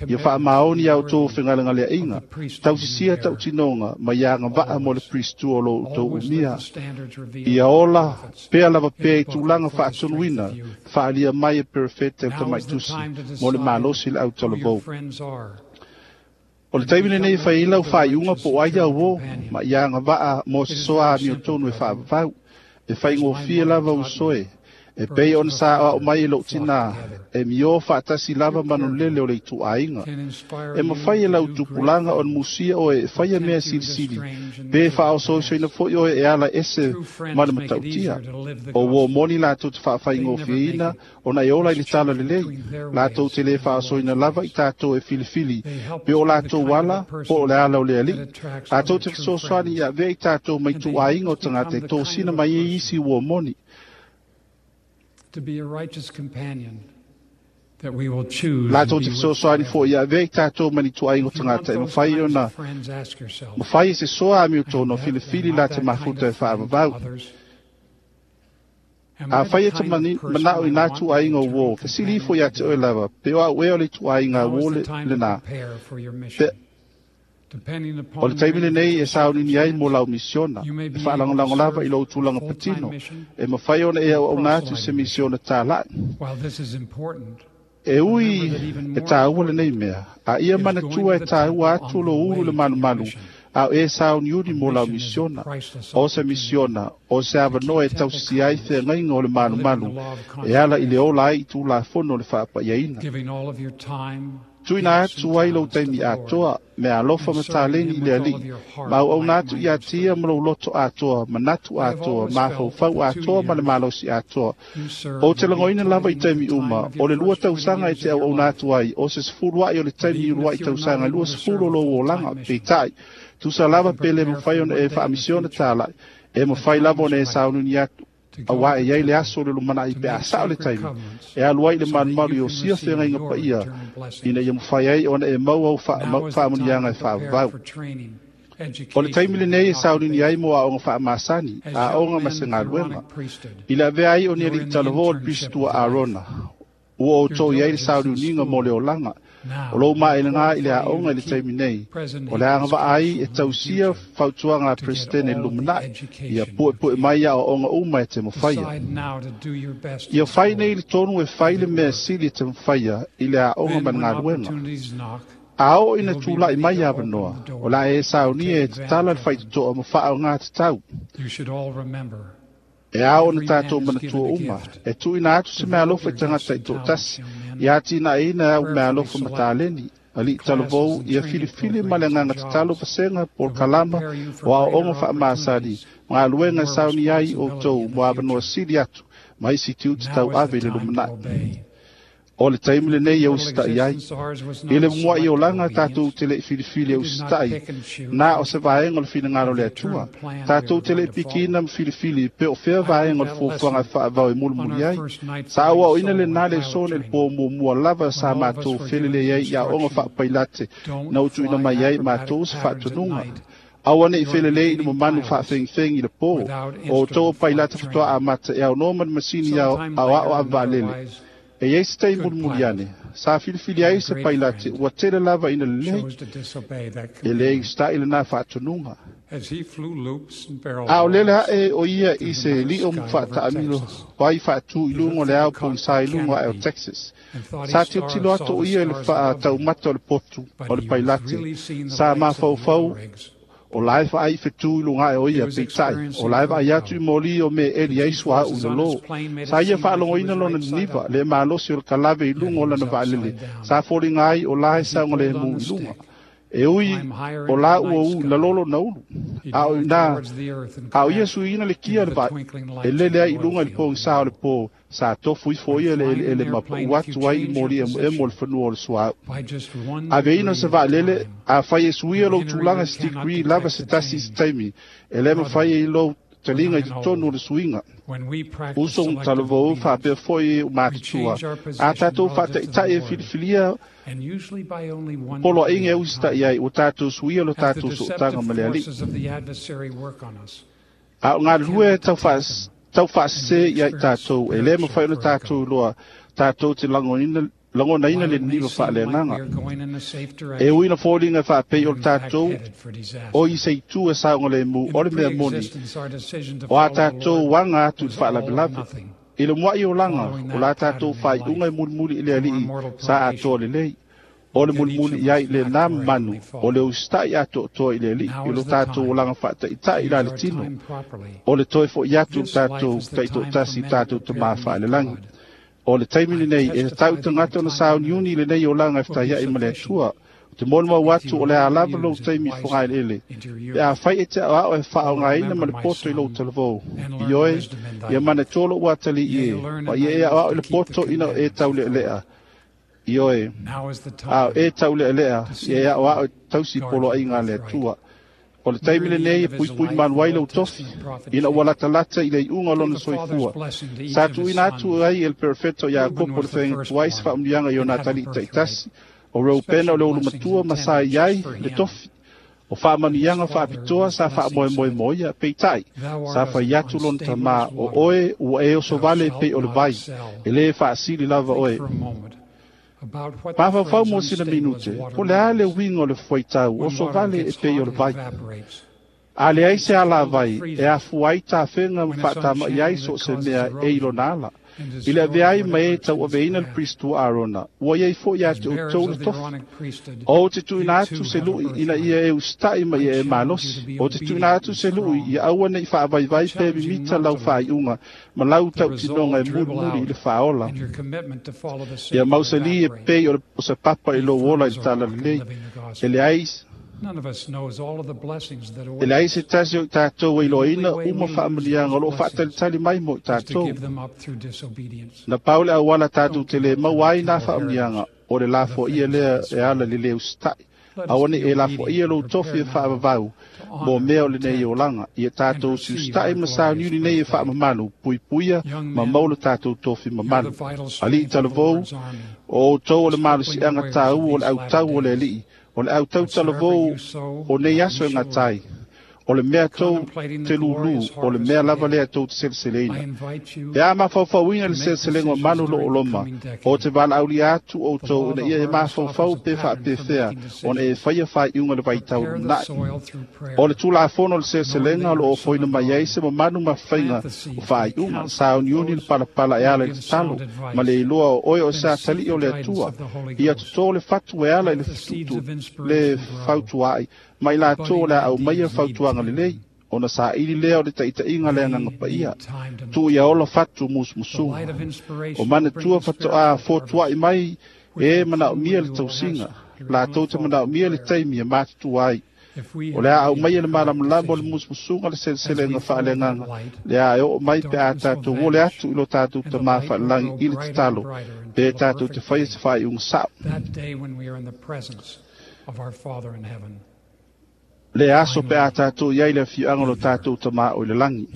Ia faamaoni a outou fegalegaleaiga, tausisia tautinoga ma ia agavaa mo le Pristua o lo outou umia. Ia ola pea lava pea i tulaga faatonuina, faaalia mai e Perofeta e le Tamaitusi mo le malosi i le autalavou. O le taimi lenei e fai ai lau faaiuga po o ai au o, ma ia agavaa mo se soa amiotonu e faavavau. E faigofie lava usoe, E pei ona sa aoao mai e lou tinā, e miō faatasi lava ma manulele o le ituaiga. E mafai e lau tupulaga ona musia oe e faia mea silisili, pe faaosoisoina foi oe e ala ese ma le matautia. O uō moni latou te faafaigofieina ona e ola i le tala lelei. Latou te le faaosoina lava i tatou e filifili pe o latou ala po o le ala o le Alii. Latou te fesoasoani ia avea i tatou ma ituaiga o tagata e tosina mai ai isi uō moni. Latou te fesoasoani foi ia avea i tatou ma ni tuaiga o tagata e mafai ona mafai e se soa amiotonu ona filifili la te mafuta e faavavau. Afai e te manao i nā tuaiga o uō, fesili ifo iā te oe lava, pe o au ea o le ituaiga uō lenā. Pe o le taimi lenei e sauniuni ai mo lau misiona, e faalagolago lava i lou tulaga patino, e mafai ona e auauna atu i se misiona tāla'i. E ui e tāua lenei mea, a ia manatua e tāua atu lou ulu i le malumalu, a o e sauniuni mo lau misiona. O se misiona, o se avanoa e tausisia ai feagaiga o le malumalu, e ala i le ola ai i Tulafono o le faapaiaina. Tuuina atu ai lou taimi atoa, meaalofa ma taleni i le Alii, ma auauna atu ia te ia ma lou loto atoa, manatu atoa, mafaufau atoa ma le malosi atoa. Ou te lagoina lava i taimi uma, o le 2 tausaga e te auauna atu ai, o se 10 a'i o le taimi i ulua'i tausaga e 20 o lou olaga, peitai, tusa lava pe le mafai ona e faamisiona tāla'i, e mafai lava ona e sauniuni atu, auā e iai le aso o le lumanai pe a sao le taimi, e alu ai i le malumalu i osia feagaiga paia, ina ia mafai ai ona e maua au faamuniaga e faavavau. O le taimi lenei e sauniuni ai mo aoga faamasani, aoga ma se galuega. I le avea ai o ni alii talavō o le Pisitua Arona, ua outou i ai le sauniuniga mo le olaga, o lou maelega i le aoga i le taimi nei, o le agavaa ai e tausia fautuaga a Peresetene i le lumanai, ia puepue mai aoaoga uma e te mafaia. Ia fai nei le tonu e fai le mea sili e te mafaia i le aoga ma le galuega. A oo ina tula'i mai avanoa, o le a e saunia e tatala le faitotoa ma faaoga tatau. E ao ona tatou manatua uma, e tuuina atu se meaalofa i tagata taitoatasi, ia atinaeina au meaalofa ma taleni, alii talavou, ia filifili ma le agaga tatalo vasega polokalama o aoaoga faamasani, ma galuega e saunia ai outou mo avanoa sili atu ma isi tiute tauave i le lumanai. O le taimi lenei e usita'i ai. I le mua'i olaga tatou te le'i filifili e usita'i, na o se vaega o le finagalo o le Atua. Tatou te le'i pikiina ma filifili pe o fea vaega o le fuafuaga e faavavau e mulimuli ai. Sa auaoina lenā le aso nei i le pō muamua lava sa matou felelei ai i aoga faapailate na ua tuuina mai ai matou se faatonuga. Aua ne'i felelei i le mamanu faafegifegi i le pō, o outou o pailate faatoa amata e aunoa ma le masini aoao avevaalele. E iai se taimi mulimuli ane, sa filifili ai se pailate ua tele lava ina lelei, e le usita'i lenā faatonuga. A o lele aʻe o ia i se liʻo faataamilo ai faatū i luga o le ao pogisā i luga aʻe o Texas. Sa tilotilo atu o ia i le faataumata o le potu o le pailate, sa mafaufau o la e vaai i fetū i luga aʻe o ia, peitai, o la e vaai atu i moli o me eli ai suauu i lalō. Sa ia faalogoina lona niniva, le malosi o le kalave i luga o lana vaalele, sa foliga ai o la e saogalēmū i luga. E ui o la ua ū i lalō lona ulu, a o inā, a o ia suiina le kia o le vaai, e lele ai i luga i le pogisā o le pō, sa tofu ifo ia i le eleele ma paʻu atu ai i moli emoemo o le fanua o le suauu. Aveina o se vaalele, afai e suia lou tulaga i se degree lava se tasi i se taimi, e le mafai ai lou taliga i totonu o le suiga. Uso talavou faapea foi o matutua, a tatou faataitai e filifilia poloaiga e usita'i ai, ua tatou suia lo tatou sootaga ma le Alii. A o galulue taufaasese ia i tatou, e le mafai ona tatou iloa tatou te lagonaina le niniva faaleagaga. E ui na foliga e faapei o le tatou o i se itu e saogalēmū o le mea moni, o a tatou aga atu i le faalavelave. I le mua'i olaga, o la tatou faaiuga e mulimuli i le Alii sa atoa lelei. O le mulimuli i ai i lenā mamanu, o le usita'i atoatoa i le Alii, i lo tatou olaga faataitai i la le tino, o le toe fo'i atu i le tatou taitoatasi i tatou Tamā faalelagi. O le taimi lenei, e tatau i tagata ona sauniuni i lenei olaga e fetaia'i ma le Atua. O te molimau atu o le a lava lou taimi i fogaeleele, pe afai e te aoao e faaaogaina ma le poto i lou talavou. Ioe, ia manatua lou atalii e, ma ia e aoao i le poto ina o e taulealea. Ioe, a o e taulealea, ia e aoao e tausi poloaiga a le Atua. O le taimi lenei e puipui malu ai lou tofi, ina ua latalata i le iuga o lona soifua. Sa tuuina atu ai e le perofeta o Iakopo le feagaiga tuai se faamanuiaga i ona atalii taitasi, o Reupena o le ulumatua ma sa i ai le tofi. O faamanuiaga faapitoa sa faamoemoe mo ia, peitai, sa fai atu lona tamā, o oe ua e osovale pei o le vai, e lē faasili lava oe. Mafaufau mo sina minute, po o le a le uiga o le fuaitau osovale e pei o le vai. A leai se alavai e afua ai tafega ma faatama'i ai so o se mea e i lona ala. I le avea ai ma e tauaveina le Pristo Arona, ua iai foi ia te outou le tofi. Ou te tuuina atu se lu'i ina ia e usita'i ma ia e malosi. Ou te tuuina atu se lu'i ia aua ne i faavaivai pe mimita lau faaiuga ma lau tautinoga e mulimuli i le faaola. Ia mausali e pei o se papa i lou ola i le talalelei. E leai E leai se tasi o i tatou e iloaina uma faamanuiaga o lo o faatalitali mai mo i tatou. Na pau le auala tatou te le maua ai nā faamanuiaga, o le lafoaia lea e ala i le lē usitai. Aua ne i e lafoaia lou tofi e faavavau mo mea o lenei olaga. Ia tatou usiusitai ma sauniuni nei e faamamalu, puipuia ma maua lo tatou tofi mamalu. Alii talavou, o outou o le malosiaga tāua o le autau o le Alii, o le autau talavou o nei aso e gata ai. O le mea tou te lūlū, o le mea lava lea tou te seleseleina. Pe a mafaufauina le seleselega o malu o lo o loma, o te valaaulia atu outou ina ia e mafaufau pe faapefea ona e faia faaiuga i le vaitau lumanai. O le Tulafono o le seleselega o lo o ofoina mai ai se mamalu ma faiga o faaiuga, sauniuni le palapala e ala i le tatalo, ma le iloa o oe o se atalii o le Atua, ia totō le fatu e ala i le fetutu le fautuaai, ma i latou o le a aumaia fautuaga lelei, ona saili lea o le taitaiga a le Agaga Paia. Tuu ia ola fatu musumusuga. O manatua faatoa fotuai mai e manaomia le tausiga, latou te manaomia le taimi e matutua ai. O le a aumaia le malamalama o le musumusuga le seleselega faaleagaga, le a e oo mai pe a tatou ole atu i lo tatou Tamā Faalelagi i le tatalo, pe tatou te faia se faaiuga sao. Le aso pe a tatou i ai le afioaga o lo tatou Tamā o i le lagi.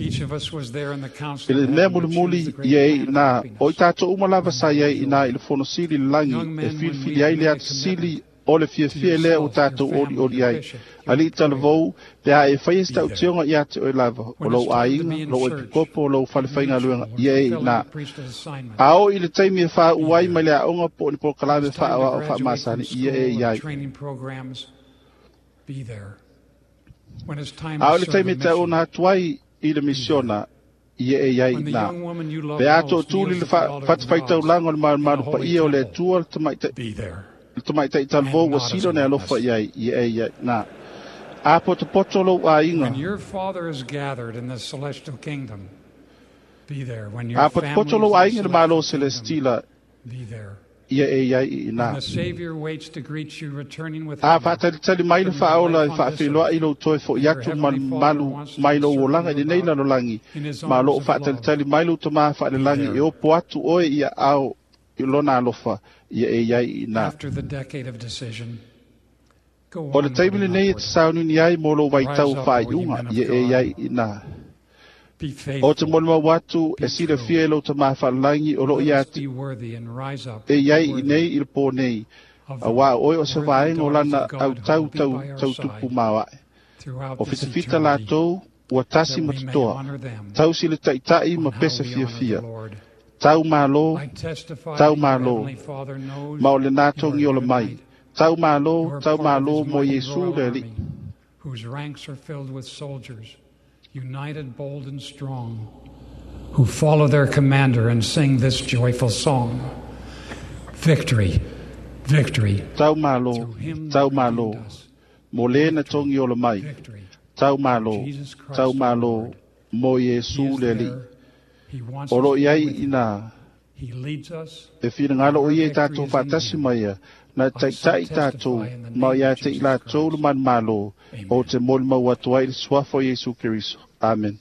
I le mea mulimuli ia e i inā, o i tatou uma lava sa i ai inā i le Fono Sili i le lagi e filifili ai le ata sili o le fiafia lea ua tatou olioli ai. Alii talavou, pe a e faia se tautioga ia te oe lava, o lou aiga, lou epikopo, lou fale faigaluega, ia e inā. A oo i le taimi e faauu ai mai le aoga po o ni polokalame faaoao faamasani, ia e i ai. A o le taimi e tauona atu ai i le misiona, ia e i ai inā. Pe a tootuli le fatafaitaulaga o le malumalu paia o le Atua, le tamaitai talavou ua sili ona e alofa i ai, ia e i ai inā. A potopoto lou aiga, a potopoto lou aiga i le Malo Selestila, ia e i ai i inā. A faatalitali mai le Faaola e faafeiloai lou toe fo'i atu ma le mamalu mai lou olaga i lenei lalolagi, ma o lo o faatalitali mai lou Tamā faalelagi e opo atu oe i aao i lona alofa, ia e i ai i inā. O le taimi lenei e te sauniuni ai mo lou vaitau o faaiuga, ia e i ai i inā. O te molimau atu e silafia e lou Tamā faalelagi o lo o ia te e i ai i nei i le pō nei, auā o oe o se vaega o lana autau tau tautupu maoae. O fitafita latou ua tasi ma totoa, tausi le taitai ma pese fiafia. Tau malo, tau malo, ma o lenā togi ola mai. Tau malo, tau malo mo Iesu le Alii. Whose ranks are filled with soldiers, united, bold, and strong, who follow their commander and sing this joyful song. Victory, victory. Tau malo, tau malo, mo le na togi ola mai. Tau malo, tau malo, mo Iesu le Alii. O lo o i ai inā, e finagalo o ia i tatou faatasi ma ia, na taitai tatou ma ia te i latou le manumalo, o te molimau atu ai i le suafa o Iesu Keriso. Amen.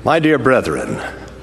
My dear brethren,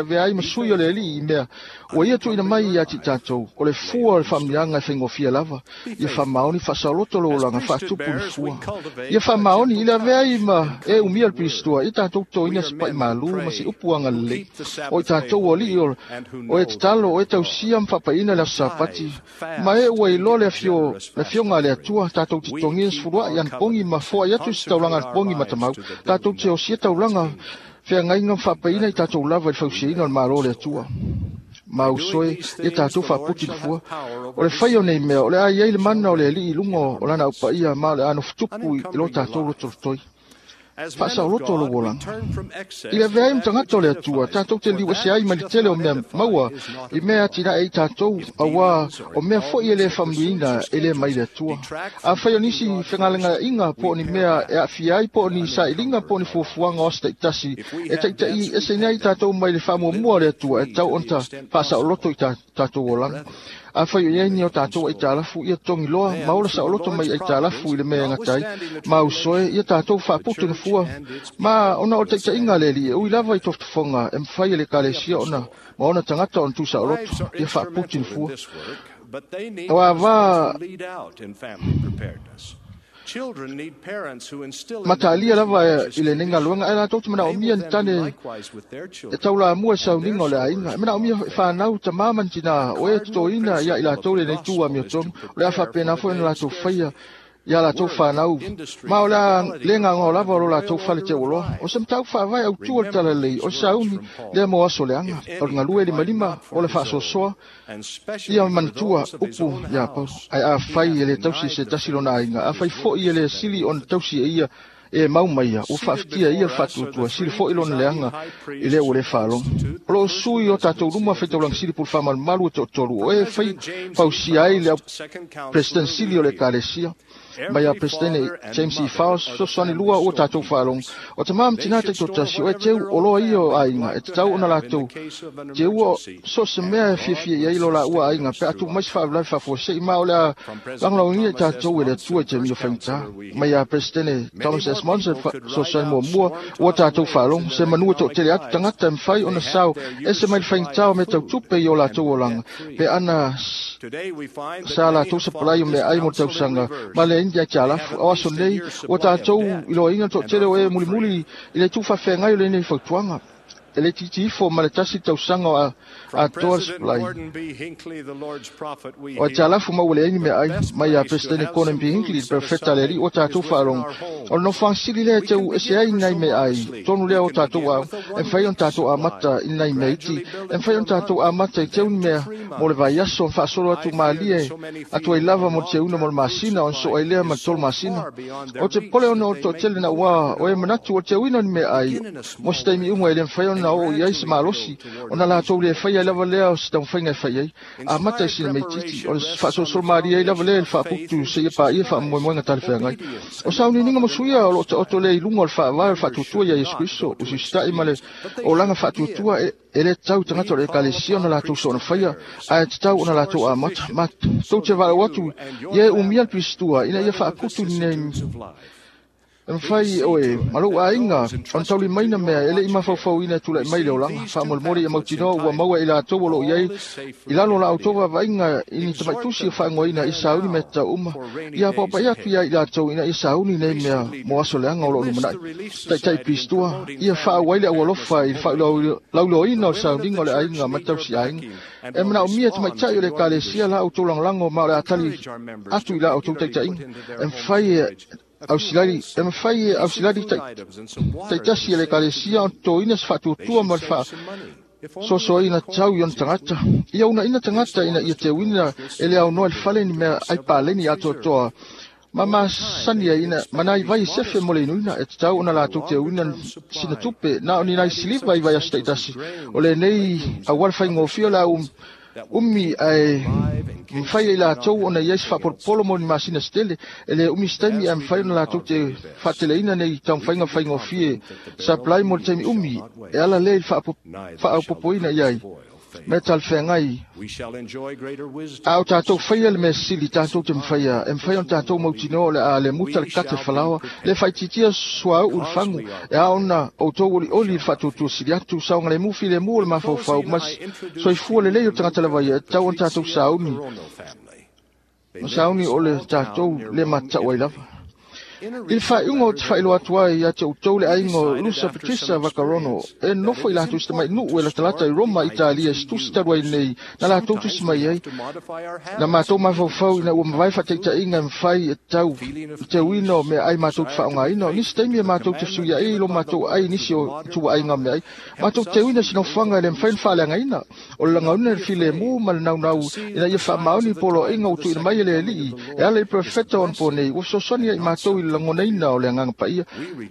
avea ai ma sui o le Alii i mea ua ia tuuina mai ia te i tatou. O le fua o le faamanuiaga e faigofie lava. Ia faamaoni faasaoloto lou olaga faatupu le fua. Ia faamaoni i le avea ai ma e umia le pilistua, ia tatou totoina se pai malu ma se upu agalelei. O i tatou o alii o e tatalo, o e tausia ma faapaina le aso Sapati, ma e ua iloa le afioga a le Atua, tatou te totogia se fuluai anapogi ma foai atu i se taulaga anapogi matamau, tatou te osia taulaga feagaiga ma faapaina i tatou lava i le fausiaina o le Malo o le Atua. Ma usoe ia tātou faaputu i le fua. O le fai o nei mea, o le a iai le mana o le Alii i luga o lana aupaia ma o le a nofotupu i lo tātou lotolotoi. Faasaoloto lou olaga. I le avea ai ma tagata o le Atua, tātou te liu ese ai mai le tele o mea maua i mea atinae ai tātou, auā o mea foi e le faamanuiaina e le mai le Atua. Afai o nisi fegalegaiga po o ni mea e aafia ai po o ni sailiga po o ni fuafuaga o aso taitasi e taita'i eseina ai tātou mai le faamuamua o le Atua, e tatau ona faasaoloto i tātou olaga. Afai o i ai ni o tātou aitalafu, ia togi loa ma ola saoloto mai aitalafu i le mea e gata ai, ma usoe, ia tātou faaputu na fua. Ma ona o le taitaiga a le Alii e ui lava i tofotofoga e mafai e le Ekalesia ona ma ona tagata ona tuusaoloto, ia faaputu na fua. Aua va Matalia lava i lenei galuega, ae latou te manaomia ni tane e taulamua i sauniga o le aiga. E manaomia e fanau, tamā ma ni tinā, o e totoina ia i latou lenei tu amiotonu, o le a faapena foi ona latou faia ia latou fanau, ma o le a le gagao lava o lo latou fale teuoloa. O se mataupu faavae autu o le talalelei, o le sauni lea mo aso leaga, o le galue limalima, o le faasoasoa, ia manatua upu iā Paulo. Ae afai e le tausi e se tasi lona aiga, afai foi e le sili ona tausi e ia e mau maia, ua faafetia e ia le faatuatua, sili foi lona leaga i lea ua le faalogo. O loo sui o tātou luma faitaulaga sili pule faamalumalu e toatolu, o e fai fausia ai le au President sili o le Ekalesia, mai a Peresetene James E. Faust, fesoasoani lua ua tātou faalogo. O tamā ma tinā taitoatasi, o e teu o loa ia o aiga, e tatau ona latou teua so o se mea e fiafia i ai lo laua aiga, pe a tuu mai se faalavelave faafuasei, ma o le a lagolagoina i tātou e le Atua i taimi o faigata. Mai a Peresetene Thomas S. Monson, fesoasoani muamua ua tātou faalogo, se manu e toatele atu tagata e mafai ona sao ese mai le faigata o mea tau tupe i o latou olaga, pe ana sa latou sapalai o meaai mo le tausaga ma le India ki a lafu. O aso nei, ua tātou iloaina le toatele o e mulimuli i le itu faafeagai o lenei fautuaga. E le itiiti ifo ma le tasi tausaga o atoa le sapalai. O aitalafu ma ua leai ni meaai mai ia Peresetene Gordon B. Hinckley, le perofeta a le Alii ua tātou faalogo. O le nofoaga sili lea e teu ese ai nai meaai tonu lea o tātou ao, e mafai ona tātou amata i nai mea iti, e mafai ona tātou amata i teu ni mea mo le vaiaso, ona faasolo atu malie atu ai lava mo le teuina mo le masina, ona soo ai lea ma le 3 masina. O te popole ona o le toatele na ua o e manatu o le teuina o ni meaai mo se taimi uma e le mafai ona oo i ai se malosi, ona latou le faia ai lava lea o se taumafaiga e fai ai. Amata i sina meititi, o le faasolosolo malie ai lava lea i le faaputu seia paia faamoemoega talafeagai. O sauniuniga ma suia o loo taoto lea i luga o le faavae o le faatuatua ia Iesu Keriso, o usiusita'i ma le olaga faatuatua e le tatau i tagata o le Ekalesia ona latou soona faia, ae tatau ona latou amata. Ma tou te valaau atu ia e umia le pistua ina ia faaputu nei e mafai e oe ma lou aiga ona taulimaina mea e le i mafaufauina e tulai mai le olaga. Faamolemole ia mautinoa ua maua e i latou o loo i ai i lalo o la outou vaavaaiga i ni tamaitusi o faaigoaina i sauni mea tatau uma. Ia paopaia atu ia i latou ina ia sauni nei mea mo aso leaga o loo lumanai. Taitai pistua, ia faaauai le aualofa i le faalauiloaina o le sauniga o le aiga ma le tausiaiga. E manaomia e tamaitai o le Ekalesia la outou lagolago ma o le a tali atu i la outou taitaiga. E mafai e ausilali e mafai e ausilali taitasi e le Ekalesia ona totoina se faatuatua ma le faasoasoaina tau i ona tagata. Ia uunaina tagata ina ia teuina e le aunoa i le fale ni mea ai paleni atoatoa ma masani ai ina ma nai vai sefe mo le inuina e tatau ona latou teuina sina tupe na o ni nai siliva i vaiaso taitasi. O lenei auala faigofie o le a umi ae mafai e i latou ona i ai se faapolopolo mo ni masina se tele. E le umi se taimi ae mafai ona latou te faateleina nei taumafaiga faigofie supply mo le taimi umi e ala lea i le faaopoopoina i ai mea talafeagai. A o tātou faia le mea sili tātou te mafaia, e mafai ona tātou mautinoa o le a le muta le kate falaoa, le faitiitia suauu le fagu, e a ona outou olioli i le faatuatua sili atu, saogalemu filemu o le mafaufau ma soifua lelei o le tagata lava ia, e tatau ona tātou sauni, sauni o le tātou le matatau ai lava. I le faaiuga ou te faailoa atu ai ia te outou le aiga o Lusa Patricia Vaccarono e nofo i latou i si tamainu'u e latalata i Roma, Italia, i se tusi talu ai nei na latou tusi mai ai. Na matou mafaufau ina ua mavae faataitaiga e mafai e tau le teuina o meaai matou te faaaogaina. O nisi taimi e matou te fesuiai i lo matou ai i nisi o ituaiga o meaai. Matou te teuina se nofoaga e le mafai ona faaleagaina. O le lagaina i le filemu ma le naunau ina ia faamaoni poloaiga ua tuuina mai e le Alii e ala i le perofeta o anapo nei ua fesoasoani ai matou i le lagonaina o le agaga paia.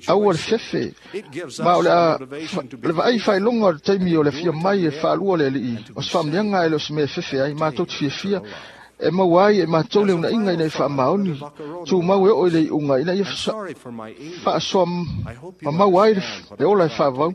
Aua le fefe, ma o le a le vaai faailoga o le taimi o le afio mai e faalua le Alii. O se faamanuiaga e le o se mea e fefe ai, matou te fiafia e maua ai e matou le unaiga ina ia faamaoni tumau e oo i le iuga ina ia faasoa mamau ai le ola e faavavau.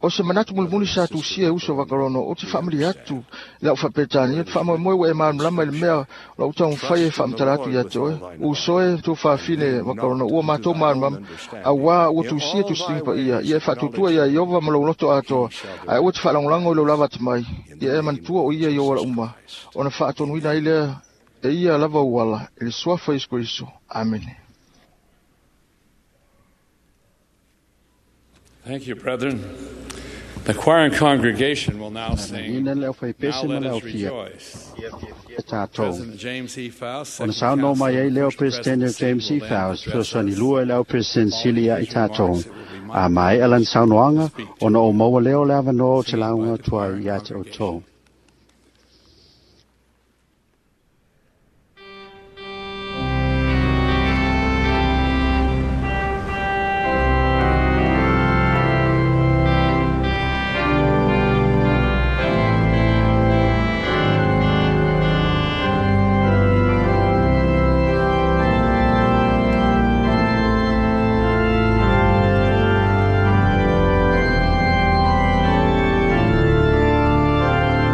O se manatu mulimuli sa tusia e uso Vaccarono, ou te faamalie atu i lau faaperetania, ou te faamoemoe ua e malamalama i le mea o lau taumafai e faamatala atu ia te oe. Uso e tuafafine Vaccarono, ua matou malamalama, auā ua tusia tusitini paia, ia e faatuatua iā Ieova ma lou loto atoa, ae aua e te faalagolago i lou lava atamai, ia e manatua o ia i ou ala uma, ona faatonuina ai lea e ia lava ou ala, i le suafa o Iesu Keriso. Amene. Thank you, brethren. The choir and congregation will now sing, Ina le Now aufaipese ma Let le Us aufia Rejoice. e tātou. President James E. Faust, Ona second saunoa mai counselor ai and leo first President presidency, James E. will then Faust, address fesoasoani us. lua i le au President Following Sili ia i his tātou. remarks, it will be my A mai privilege alan to saunoaga, speak to ona o you. maua leo le avanoa o te Singing by lauga the atu choir ai and ia te congregation. outou. Thank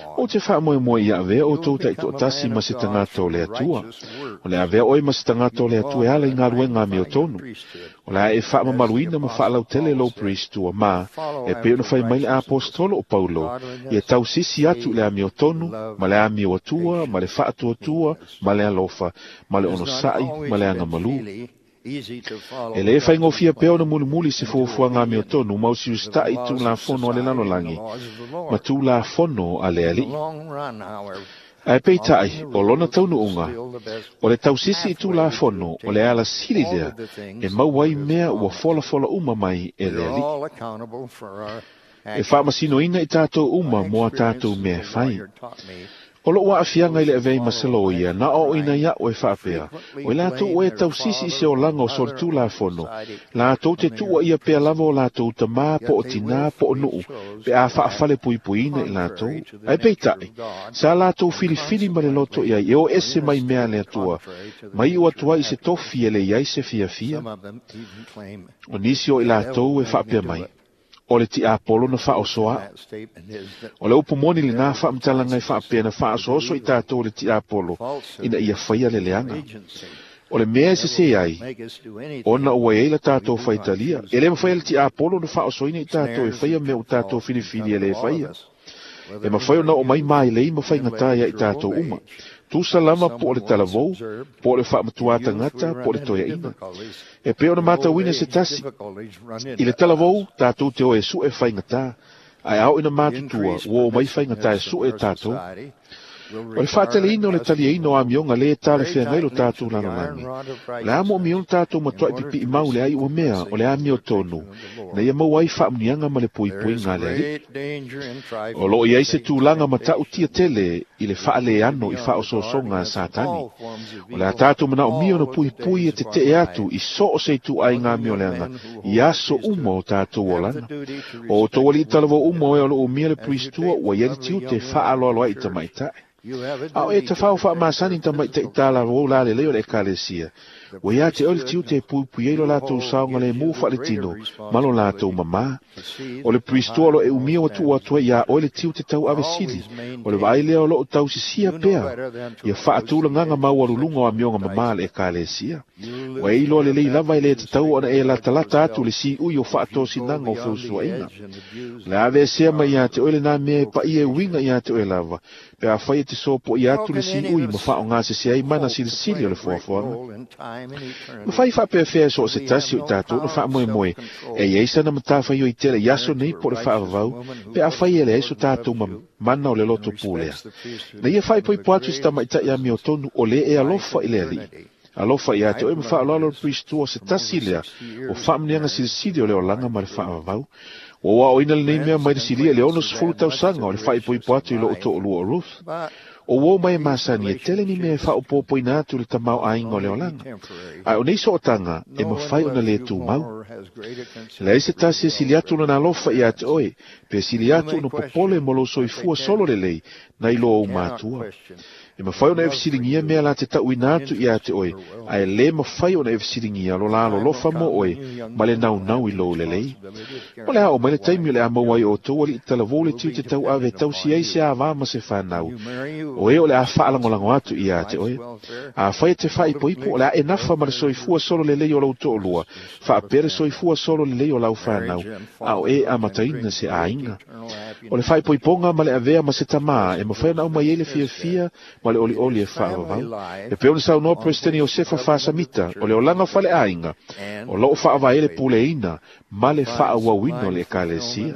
Ou te faamoemoe ia avea outou taitoatasi ma se tagata o le Atua. O le avea oe ma se tagata o le Atua e ala i galuega amiotonu. O le a e faamamaluina ma faalautele lou peristua ma, e pei ona fai mai le aposetolo o Paulo, ia tausisi atu i le amiotonu, ma le amio atua, ma le faatuatua, ma le alofa, ma le onosai, ma le agamalu. E lē faigofie pea ona mulimuli se fuafuaga amiotonu ma usiusitaʻi tulafono a le lalolagi ma tulafono a le Alii. Ae peitai, o lona taunuuga, o le tausisi i Tulafono o le alasili lea e maua ai mea ua folafola uma mai e le Alii. E faamasinoina i tatou uma mo a tatou mea e fai. O lou aafiaga i le avea ai ma se loia, na aoaoina ai a'u e faapea, o i latou o e tausisi i se olaga o solitulafono, latou te tuuaia pea lava o latou tamā po o tinā po o nuu pe a faafalepuipuiina i latou. Ae peitai, sa latou filifili ma le loto i ai e o ese mai mea a le Atua, ma iu atu ai i se tofi e leai ai se fiafia. O nisi o i latou e faapea mai, O le tiapolo na faaoso a'u. O le upu moni lenā faamatalaga e faapea na faaosooso i tatou e le tiapolo ina ia faia le leaga. O le mea e sesē ai, ona ua i ai la tatou faitalia, e le mafai e le tiapolo ona faaosoina i tatou e faia mea ua tatou filifili e le faia. E mafai ona oo mai mailei ma faigata ia i tatou uma, tusa lava po o le talavou, po o le faamatua tagata, po o le toeaina. E pei ona matauina se tasi, i le talavou, tatou te o e suʻe faigata, ae a oo ina matutua, ua o mai faigata e suʻe tatou. O le faateleina o le taliaina o amioga lē talafeagai lo tatou lalolagi, o le a moomia ona tatou matuaʻi pipiʻi mau le ai ua mea o le amiotonu ina ia maua ai faamuniaga ma le puipuiga a le Alii. O loo i ai se tulaga matautia tele i le faaleano i faaosoosoga a Satani. O le a tatou manaomia ona puipui e tetee atu i so o se ituaiga amioleaga i aso uma o tatou olaga. O outou alii talavou uma o e o loo umia le puristua ua i ai le tiute e faaaloalo ai i tamaitai. A o e tafao faamasani tamaitai talavou lalelei o le Ekalesia, ua ia te oe le tiute e puipui ai lo latou saogalemu faaletino ma lo latou mamā. O le puristua o lo e umia ua tuu atu ai iā oe le tiute tauave sili, o le vaai lea o loo tausisia pea ia faatulagaga maualuluga o amioga mamā a le Ekalesia. Ua e iloa lelei lava e le tatau ona e latalata atu le siui o faatosinaga o feusuaiga. O le a aveesea mai ia te oe lenā mea e paia e uiga ia te oe lava, pe afai e te sopoia atu le siui ma faaaogasese ai mana silisili o le foafoaga. Mafai faapeafea e so o se tasi o i tatou ona faamoemoe e i ai sana matafaioi tele i aso nei po o le faavavau pe afai e leai so tatou mana o le loto pulea. Na ia faaipoipo atu i se tamaitai amiotonu o lē e alofa i le Alii. Alofa ia te oe ma faaaloalo le puristua o se tasi lea o faamuniaga silisili o le olaga ma le faavavau. Ua ou aoaoina lenei mea mai le silia i le 60 tausaga o le faaipoipo atu i lou toalua o Ruth. O uo mai e masani e tele ni mea e faaopoopoina atu i le tamaoaiga o le olaga. Ae o nei sootaga e mafai ona lē tumau. E leai se tasi e sili atu lona alofa ia te oe, pe sili atu ona popole mo lou soifua solo lelei nai lo ou matua. E mafai ona e fesiligia mea la te tauina atu ia te oe, ae lē mafai ona e fesiligia lo la alolofa mo oe ma le naunau i lou lelei. O le a oo mai le taimi o le a maua ai outou alii talavou le tiute tauave e tausi ai se avā ma se fanau, o e o le a faalagolago atu ia te oe. Afai e te faaipoipo, o le a e nafa ma le soifua solo lelei o lou toalua, faapea le soifua solo lelei o lau fanau, a o e amataina se aiga. O le faaipoipoga ma le avea ma se tamā e mafai ona aumai ai le fiafia ma le olioli e faavavau. E pei ona saunoa Peresetene Iosefa Faasamita, o le olaga faleaiga o loo faavae ai le puleaina ma le faaauauina o le Ekalesia.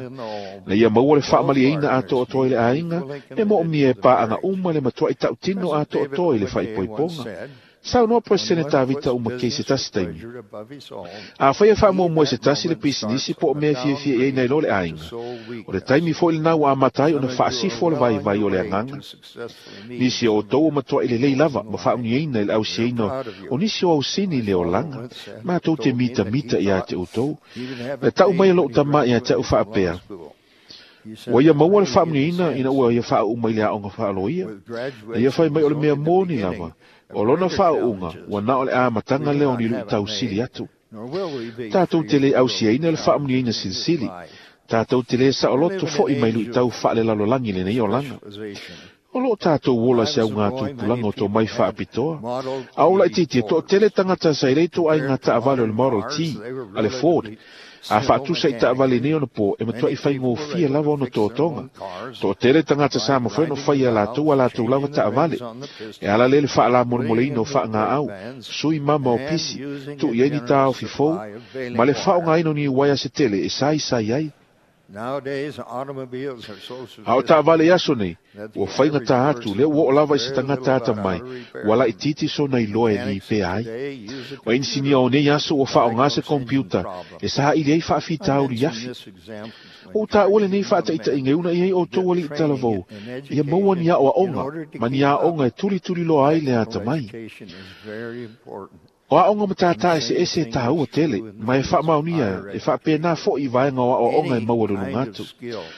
Na ia maua le faamalieina atoatoa i le aiga, e moomia e paaga uma le matuai tautino atoatoa i le faaipoipoga. Saunoa Peresetene Tavita Uma Kei se tasi taimi. Afai e faamuamua e se tasi le pisinisi po o mea e fiafia i ai nai lo le aiga, o le taimi foi lenā ua amata ai ona faasifo le vaivai o le agaga. Nisi o outou ua matuai lelei lava ma faauniaina i le ausiaina o nisi o ausini i le olaga, matou te mitamita ia te outou. Na tau mai e lou tama ia te au faapea, Ua ia maua le faamuniaina ina ua ia faauu mai le aoga faaloia. Na ia fai mai o le mea moni lava, o lona faauuga ua na o le amataga lea o ni luitau sili atu. Tatou te le ausiaina le faamuniaina silisili. Tatou te le saoloto foi mai luitau faalelalolagi lenei olaga. O loo tatou ola i se augatupulaga o tomai faapitoa. A o laitiiti e toatele tagata sa i le ituaiga taavale o le Model T a le Ford. A faatusa i taavale nei ona po, e matuai faigofie lava ona totoga. Toatele tagata sa mafai ona fai e latou a latou lava taavale. E ala lea i le faalamolemoleina o faagaau, sui mama o pisi, tuu i ai ni taofi fou, ma le faaaogaina o ni uaea se tele e saisai ai. A o taavale i aso nei, ua faigatā atu, lea ua oo lava i se tagata atamai, ua laitiiti sona iloa e lipea ai. O inisinia o nei aso ua faaaogā se kompiuta e saili ai faafitauli i afi. Ua ou taua lenei faataitaiga e unaia ai outou alii talavou, ia maua ni aoaoga ma ni aoga e tulituliloa ai le atamai. O aoga matātā eseese e tāua tele, ma e faamaonia e faapena foʻi i vaega o aoaoga e maua i luga atu.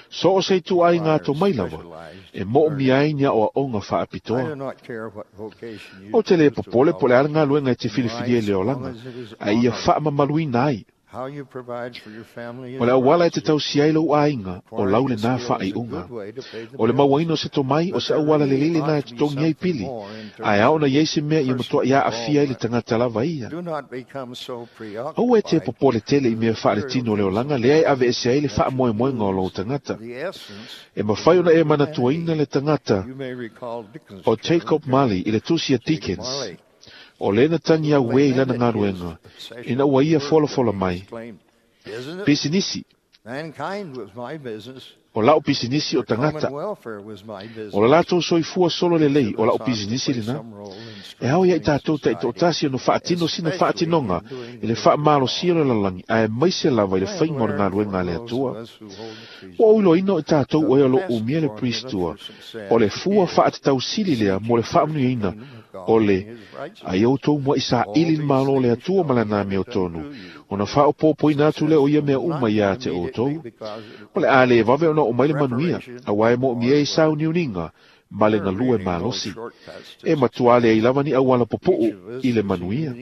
So o se ituaiga atomai lava, e moomia ai ni aoaoga faapitoa. Ou te lē popole po o le a le galuega e te filifilia i le olaga, ae ia faamamaluina ai. O le auala e te tausia ai lou aiga, o lau lenā faaiuga. O le mauaina o se tomai, o se auala lelei lenā e totogi ai pili, ae ao ona i ai se mea ia matuai aafia ai le tagata lava ia. Aua e te popole tele i mea faaletino o le olaga lea e aveese ai le faamoemoega o lou tagata. E mafai ona e manatuaina le tagata o Jacob Marley i le tusi a Dickens, O lea na tagi auē i lana galuega ina ua ia folafola mai. Pisinisi. O la'u pisinisi o tagata. O le latou soifua solo lelei o la'u pisinisi lenā. E ao ia i tatou taitoatasi ona faatino sina faatinoga i le faamalosia o le lalolagi aemaise lava i le faiga o le galuega a le Atua. Ua ou iloaina o i tatou o e o lo o umia le Priestua, o le fua faatatau sili lea mo le faamanuiaina o le, a ia outou muaʻi saili le Malo o le Atua ma lana amiotonu, ona faaopoopoina atu lea o ia mea uma iā te outou. O le a lē vave ona oo mai le manuia, auā e moomia ai sauniuniga ma le galue malosi. E matuā leai lava ni auala pupuu i le manuia.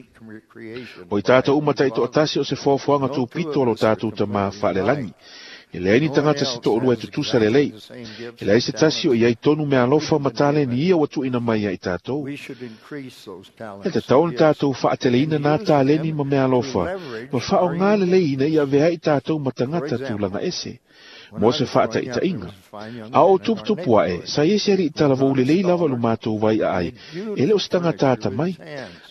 O i tatou uma taitoatasi o se foafoaga tupito o lo tatou Tamā faalelagi. E leai ni tagata se toalua e tutusa lelei. E leai se tasi o i ai tonu meaalofa ma taleni ia ua tuuina mai ia i tatou. E tatau ona tatou faateleina nā taleni ma meaalofa ma faaaogā lelei ina ia avea ai i tatou ma tagata tulaga ese. Mo se faataitaiga, a o tuputupu aʻe, sa i ai se alii talavou lelei lava i lo matou vai aai, e le o se tagata atamai,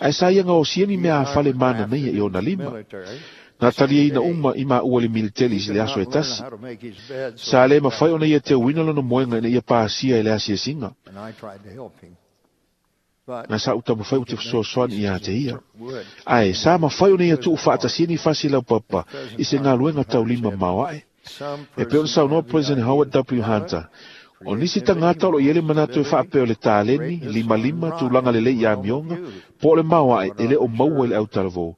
ae sa ia gaosia ni meaafale mananaia i ona lima. Na taliaina uma i maua i le militeli i le aso e tasi. Sa lē mafai ona ia teuina lona moega ina ia pasia i le asiasiga. Na sa ou taumafai ou te fesoasoani iā te ia. Ae, sa mafai ona ia tuu faatasia ni fasi laupapa i se galuega taulima maoaʻe. E pei ona saunoa President Howard W. Hunter, O nisi tagata o lo o i ai le manatu e faapea o le taleni, limalima, tulaga lelei i amioga, po o le maoaʻe e le o maua i le autalavou,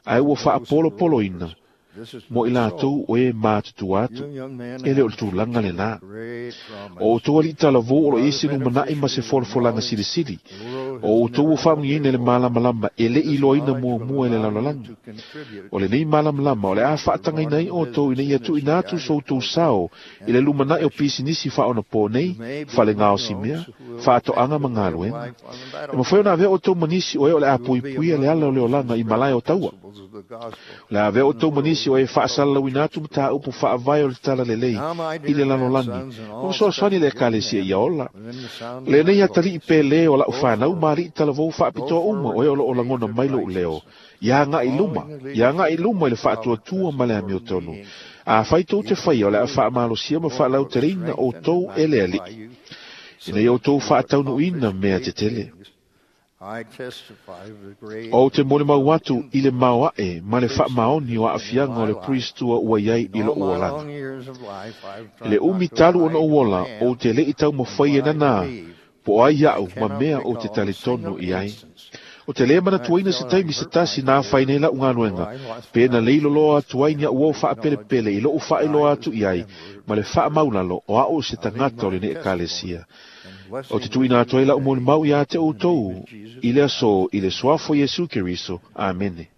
ae ua faapolopoloina mo i latou o e matutua atu, e le o le tulaga lenā. O outou alii talavou o lo o i ai se lumanai ma se folafolaga silisili, o outou ua faamanuiaina i le malamalama e le i iloaina muamua e le lalolagi. O lenei malamalama o le a faatagaina ai outou ina ia tuuina atu so outou sao i le lumanai o pisinisi faaonapō nei, fale gaosimea, faatoaga ma galuega. E mafai ona avea outou ma nisi o e o le a puipuia le ala o le olaga i malae o taua. O le a avea outou ma nisi o e faasalalauina atu mataupu faavae o le talalelei i le lalolagi ma fesoasoani i le Ekalesia ia ola. O lenei atalii pele o la'u fanau ma alii talavou faapitoa uma o e o lo o lagona mai lo'u leo, ia agaʻi i luma, ia agaʻi i luma i le faatuatua ma le amiotonu. Afai tou te faia, o le a faamalosia ma faalauteleina outou e le Alii, ina ia outou faataunuuina mea tetele. Ou te molimau atu i le maoaʻe ma le faamaoni o aafiaga o le Priestua ua i ai i loʻu olaga. I le umi talu ona ou ola, ou te leʻi taumafai e nanā, po o ai aʻu ma mea ou te talitonu i ai. Ou te lē manatuaina se taimi se tasi na afaina ai laʻu galuega, pe na leiloloa atu ai ni aʻu uo faapelepele i loʻu faailoa atu i ai ma le faamaulalo o aʻu o se tagata o lenei Ekalesia. Ou te tuuina atu ai laʻu molimau iā te outou i le aso i le Suafa o Iesu Keriso. Amene.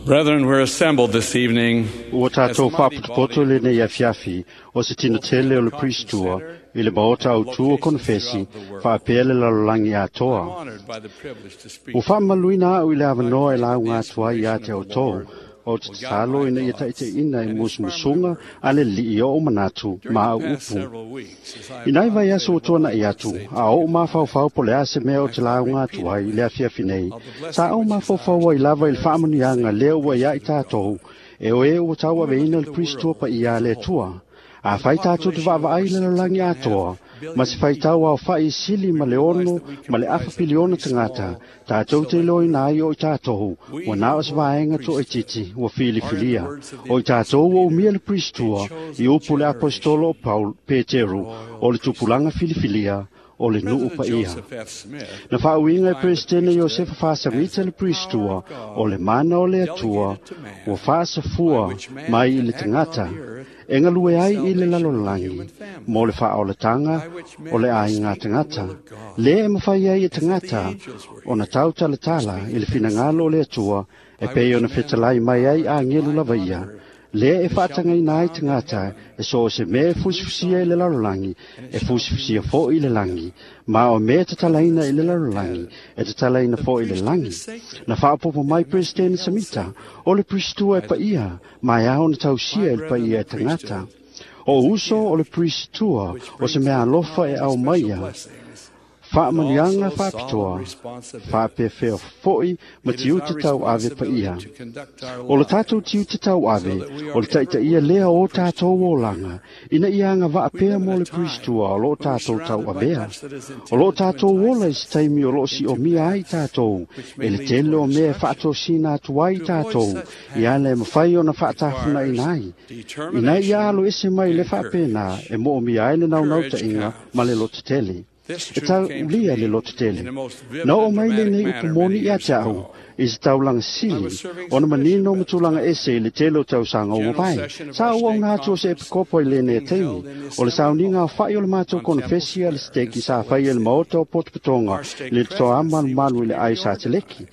Brethren, we're assembled this evening Ua as tatou a mighty faapotopoto body i lenei afiafi o se tino tele o le conference Priestua center i le Maota and Autū o locations Konofesi throughout the world. faapea le lalolagi I'm atoa. honored by the privilege to Ua speak to you. faamamaluina aʻu i le I avanoa e pray that lauga the atu ai iā inspiration te of the outou. Lord Ou te tatalo ina ia taʻitaʻiina e musumusuga a le Alii o ou manatu ma au upu. I nai vaiaso ua tuanaʻi atu, a oʻu mafaufau po o le a se mea o te lauga atu ai i le afiafi nei, sa ou mafaufau ai lava i le faamanuiaga lea ua iā i tatou, e o e ua tauaveina le Perisitoa paia a le Atua. Afai tatou te vaavaai i le lalolagi atoa, ma se faitau aofaʻi sili ma le 6.5 piliona tagata, tatou te iloaina ai o i tatou, ua na o se vaega toaitiiti ua filifilia. O i tatou ua umia le Perisitoa i upu le aposetolo o Paul Peteru o le tupulaga filifilia o le nuu paia. Na faauiga e Peresetene Iosefa Faasamita le Perisitoa o le mana o le Atua ua faasafua mai i le tagata e galue ai i le lalolagi mo le faaolataga o le aiga tagata. Lea e mafai ai e tagata ona tautalatala i le finagalo o le Atua e pei ona fetalai mai ai agelu lava ia. Lea e faatagaina ai tagata e so o se mea e fusifusia i le lalolagi, e fusifusia foʻi i le lagi, ma o mea e tatalaina i le lalolagi, e tatalaina foʻi i le lagi. Na faaopopo mai Peresetene Samita, o le Perisitoa e paia, ma e ao ona tausia i le paia e tagata. O uso o le Perisitoa o se mea alofa e aumaia, faamanuiaga faapitoa, faapefea foʻi ma tiute tauave paia. O le tatou tiute tauave, o le taʻitaʻia lea o tatou olaga, ina ia agavaa pea mo le Perisitoa o loo tatou tauavea. O loo tatou ola i se taimi o loo siomia ai tatou, e le tele o mea e faatosina atu ai tatou, ia ala e mafai ona faatafunaʻina ai. Ina ia alo ese mai le faapena e moomia ai le naunautaiga ma le lotetele. E taulia le lototele. Na oo mai lenei upu moni ia te au, i se taulaga sili, ona manino ma tulaga ese i le tele o tausaga ua mavae. Sa ou auga atu o se epikopo i lenei taimi, o le sauniga aofaʻi o le matou konofesi a le seteki sa faia i le maota o Potopotoga i le totoa malumalu i le ai sa teleki.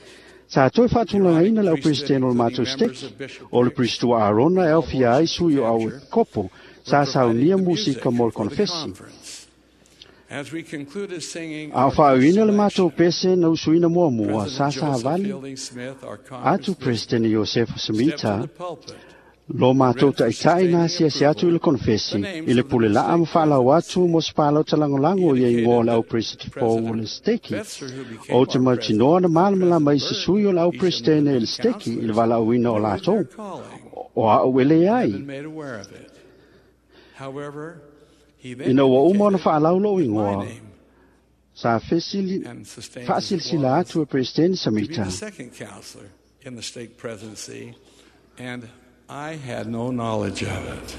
Sa toe faatulagaina le au peresetene o le matou seteki, o le Perisitoa Arona e aofia ai sui o au epikopo, sa saunia musika mo le konofesi. A o faauiina le matou pese na usuina muamua, sa savali atu Peresetene Iosefa Samita lo matou taʻitaʻi na asiasi atu i le konofesi i le pule laa ma faalau atu mo se palota lagolago ia igoa o le au peresetene o le seteki. Ou te mautinoa na malamalama i se sui o le au peresetene i le seteki i le valaauina o latou. O aʻu e leai. Ina ua uma ona faalau lou igoa, sa faasilasila atu e Peresetene Samita. In the stake presidency, and I had no knowledge of it.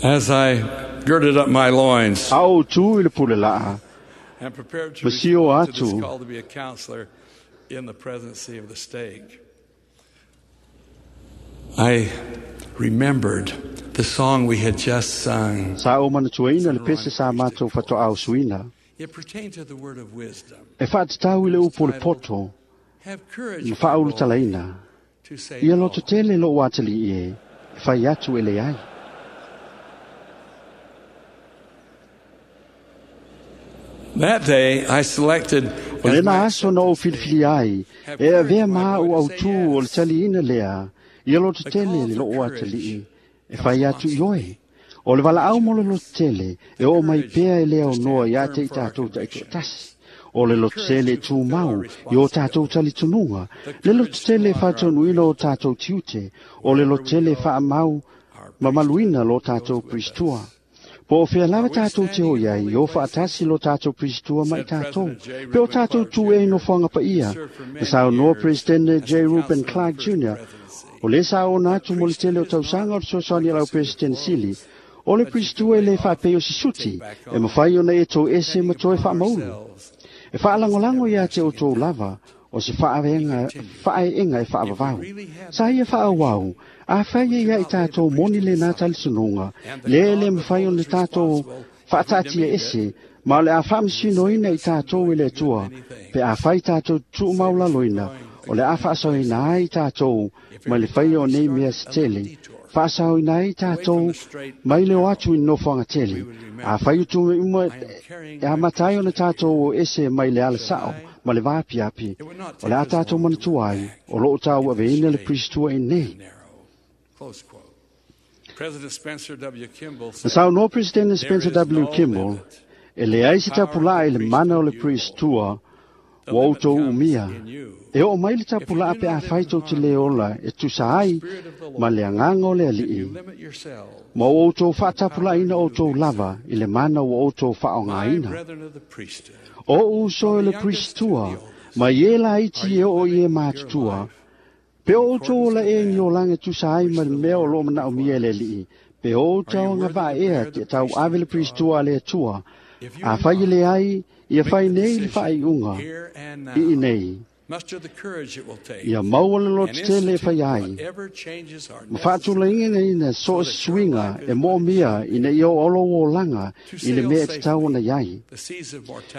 As I girded up my loins A ou tu i le pule laa, and prepared to ma sio respond to this atu call to be a counselor in the presidency of the stake, I remembered the song we had just sung. Sa ou manatuaina le pese sa matou fatoʻa usuina. It pertained to the word of wisdom. E faatatau i le upu o le poto Have courage, ma my boy, faaulutalaina. to say Ia no. lototele lou atalii e, e fai atu e leai. That day, I selected O as lena my aso na ou filifili ai, e avea ma au autū o le taliina lea, ia lototele le lou atalii, e fai atu i oe. O le valaau mo le lototele, e oo mai pea e lea o noa ia te i tatou taitoatasi. O le lototele e tumau i o tatou talitonuga, le lototele e faataunuina o tatou tiute, o le lototele e faamau mamaluina lo tatou Perisitoa. Po o fea lava tatou te o iai, o faatasi lo tatou Perisitoa ma i tatou. Pe o tatou tu e nofoaga paia, na saunoa Peresetene J. Reuben Clark Jr., o le sa ona atu mo le tele o tausaga o le fesoasoani a lau Peresetene sili, o le Perisitoa e le faapei o se suti, e mafai ona e tou ese ma toe faamaulu. E faalagolago ia te outou lava, o se faaeega e faavavau. Sa ia faaauau, afai e ia i tatou moni lenā talitonuga, lea e le mafai ona tatou faataatia ese, ma o le a faamasinoina i tatou e le Atua, pe afai tatou tuumaulaloina, o le a faasaoina ai tatou mai le faia o nei mea se tele, faasaoina ai tatou mai le o atu i nofoaga tele. Afai utuga uma e amata ai ona tatou o ese mai le ala sao ma le vaapiapi, o le a tātou manatua ai, o loo tāu aveina le Pristua i nei. Na saunoa Presidente Spencer W. Kimball, e leai se tapulaa i le mana o le Pristua, ua outou umia. E oo mai le tapulaa pe afai tou te lē ola e tusa ai ma le agaga o le alii. Ma ua outou faatapulaaina outou lava i le mana ua outou faaaogāina. O ou uso e le Pristua, mai e laiti e oo i e matutua, pe o outou ola ea ni olaga e tusa ai ma le mea o loo manaomia e le alii, pe o outou agavaa ea te tauave le Pristua a le Atua, afai e leai, ia fai nei le faaiuga i nei. Ia maua le lotetele e fai ai, ma faatulaiga so o se suiga e moomia ina ia oo lou olaga i le mea e tatau ona iai.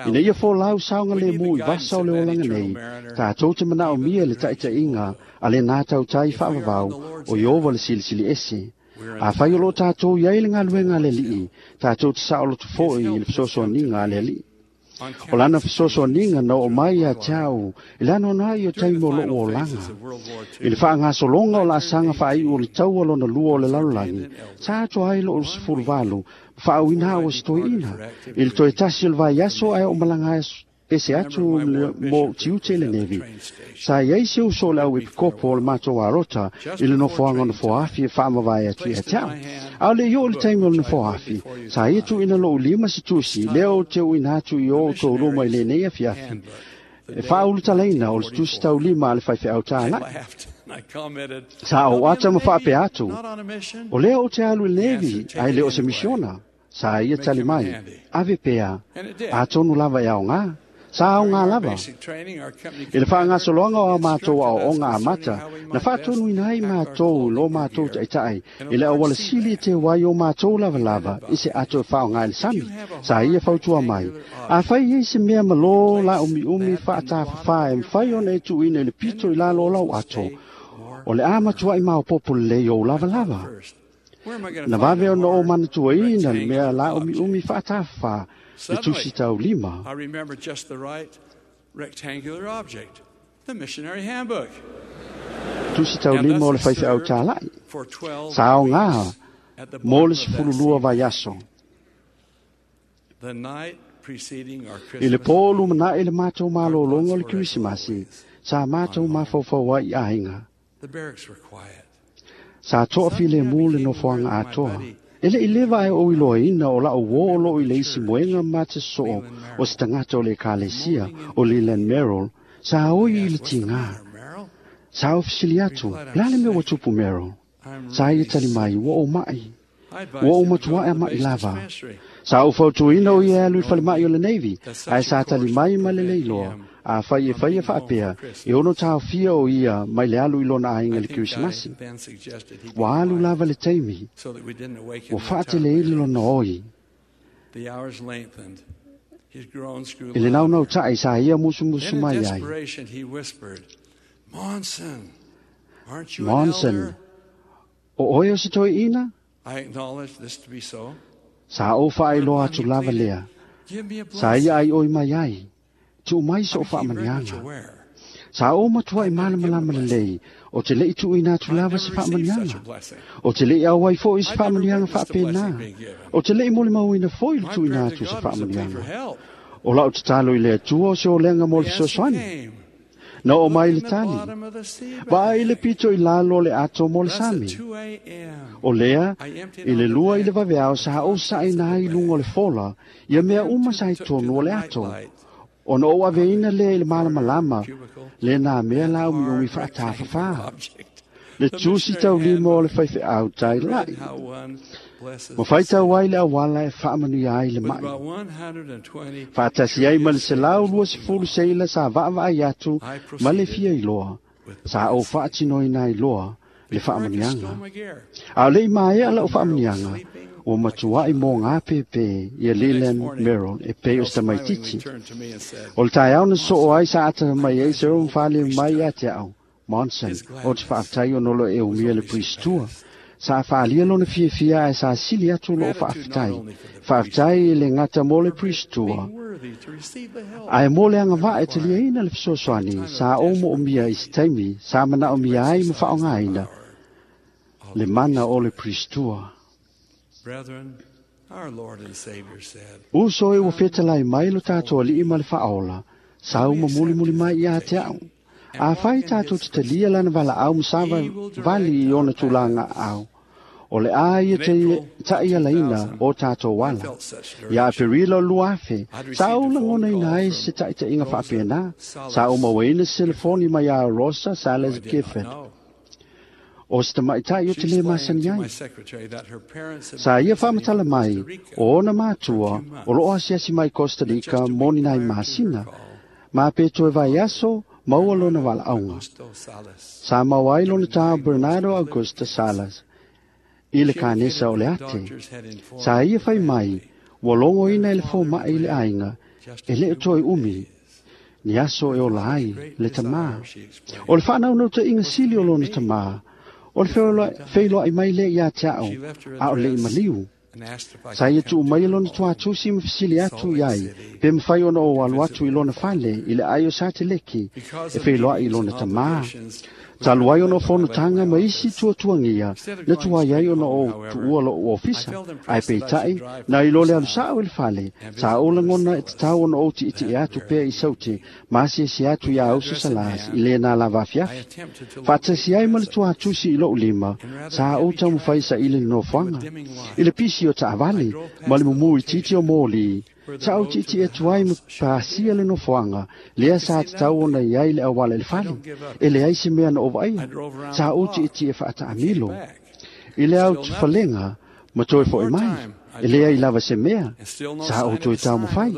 Ina ia folau saogalemu i vasa o le olaga nei, tatou te manaomia le taitaiga a lenā tautai faavavau o Ieova le Silisili Ese. Afai o loo tatou iai le galuega a le alii, tatou te saoloto foi i le fesoasoaniga a le alii. O lana fesoasoaniga na oo mai ia te au i le anoano ai o taimi o lou olaga. I le faagasologa o laasaga faaiu o le taua lona lua o le lalolagi, sa atoa ai lou 18 ma faauiina au o se toeaina. I le toe tasi o le vaiaso ae oo malaga ese atu mo tiute i le Nevi. Sa iai se uso o le au epikopo o le matou arota i le nofoaga o nofoafi e faamavae atu ia te au. A o le i oo le taimi o le nofoafi, sa ia tuuina lou lima se tusi, lea ou te uina atu i o outou luma i lenei afiafi. E faaulutalaina o le tusi taulima a le faifeau tālai. Sa ou ata ma faapea atu, o lea ou te alu i le Nevi, ae le o se misiona. Sa ia tali mai, ave pea, atonu lava e aogā. Sa aogā lava. I le faagasologa o a matou aoaoga amata, na faatonuina ai matou lo matou taitai i le auala sili e teu ai o matou lavalava i se ato e faaaogā i le sami. Sa ia fautua mai, afai ai se mea ma lō la umiumi faatafafā e mafai ona e tuuina i le pito i lalo o lau ato, o le a matuai maopoopo lelei ou lavalava. Na vave ona ou manatuaina le mea la umiumi faatafafā le tusi taulima. I remember just the right rectangular object, the missionary handbook. Tusi taulima o le faifeau tālai. Sa aogā mo le 12 vaiaso. The night preceding our I le Christmas pō lumanaʻi le matou malōloga o le Kerisimasi, sa matou mafaufau ai i aiga. The barracks were quiet. Sa toafilemu le nofoaga atoa. E le i leva ai ou iloaina o lau uō o loo i le isi moega ma te soo o se tagata o le ekalesia o Leland Merrill, sa oi i le tigā. Sa ou fesili atu, le a le mea ua tupu Merrill? Sa ia tali mai, ua ou maʻi. Ua ou matuaʻe a maʻi lava. Sa ou fautuina o ia e alu i falemai o le Navy, ae sa tali mai ma le leiloa, afai e faia faapea, e ono taofia o ia mai le alu i lona aiga i le Kerisimasi. Ua alu lava le taimi, So that we didn't awaken ua the faateleina lona oi. The hours lengthened. His groans grew I le louder. naunautai sa ia musumusu Then in mai ai. desperation he whispered, Monson, aren't you an Monson, elder? o oe o se toeaina? I acknowledge this to be so. Sa ou faailoa atu lava lea. Give me a Sa blessing. ia ai oi mai ai. Tuu mai so I became very much faamaniaga. aware. Sa ou matuai malamalama lelei, o te lei tuuina atu I'd lava never se received such a faamaniaga. blessing. O te lei auai foi se I'd never faamaniaga witnessed a blessing faapena. being given. O te lei molimauina foi le My tuuina prayer to atu se God was a plea for faamaniaga. help. O lau tatalo i le Atua o se olega mo le The answer fesoasoani. came. Na oo Look mai in le the tali. bottom of the sea Vaai i le bag. pito i lalo o le ato mo le Thus at sami. 2 a.m., O lea, I emptied i le on the 2 i le deck vaveao the sa ou contents of saʻina the ai i luga o le bag. fola, ia mea Then uma sa i took to tonu the o le ato. nightlight Ona ou aveina lea i le corner malamalama, cubicle, le nā mea that la umiumi hard rectangular faatafafā. object. Le The tusi missionary taulima o le handbook faifeau tai read lai. how one blesses Ma the faitau sick. ai le auala e faamanuia ai le With maʻi. about 120 Faatasi ai ma le curious sailors looking 120 on, seila sa vaavaai atu I ma le proceeded fia iloa. with the Sa ou blessing. faatinoina ai loa le Before I could faamanuiaga. stow my gear, A o le i maea lau Merrill was faamanuiaga, sleeping ua like a matuai child. mo ngā pepe ia The next Leland morning, Merrill e pei o Merrill se smilingly tamaitiiti. turned to me and said, O le taeao na soo Monson, ai sa ata I'm mai ai glad se you o hold the mfale mai priesthood. ia te au. Monson, His o te gladness faafetai ona lo e was umia le only Pristua. surpassed. Sa faalia lona fiafia ae sa sili atu loo Gratitude not faafetai. only for the Faafetai i le gata mo le priesthood, for Pristua, being Ae mo le agavaa e taliaina le fesoasoani sa ou moomia i se taimi sa manaomia ai ma faaaogaina le mana o le Pristua. Uso e ua fetalai mai lo tatou alii ma le faaola, sau ma mulimuli mai ia te au. Afai tatou te talia lana valaau ma savavali i ona tulaga aao, o le a ia ta'ialaina o tatou ala. Ia Aperila o 2000, sa ou lagonaina ai se taʻitaʻiga faapena, sa ou mauaina se selefoni mai iā Rosa Sales Gifford, o se tamaʻitaʻi o te lē masani ai. Sa ia faamatala mai o ona matua o loo asiasi mai Costa Rica mo ni nai masina, ma pe toe vaiaso maua lona valaauga. Sa mau ai lona tā Bernardo Augusta Salas i le kanesa o le ate. Sa ia fai mai, ua logoina e le fomaʻi i le aiga, e le o toe umi, ni aso e ola ai le tamā. O le faanaunautāiga sili o lona tamā, o le feiloai mai lea iā te ao, a o le i maliu. Sa ia tuu mai e lona tuatusi ma fesili atu i ai, pe mawhai ona o alu atu i lona fale i le ai o Sateleki, e feiloai i lona tamā. Talu ai ona o fonotaga ma isi tuatuagia, na tuai ai ona o tuua lou ofisa, ae peitai, na i lo le alusao i le fale, sa ou lagona e tatau ona ou tiitie atu pea i saute, ma asiasi atu iā Uso Salas i lena lava afiafi. Faatasi ai ma le tuatusi i lou lima, sa ou taumafai saili le nofoaga. I le pisi o taavale, ma le mumu itiiti o moli, sa ou tiitie atu ai ma pasia le nofoaga, lea sa tatau ona i ai le auala i le fale, e leai se mea na ou vaaia. Sa ou tiitie faataamilo. I le autufalega ma toe foʻi mai, e leai lava se mea, sa ou toe taumafai.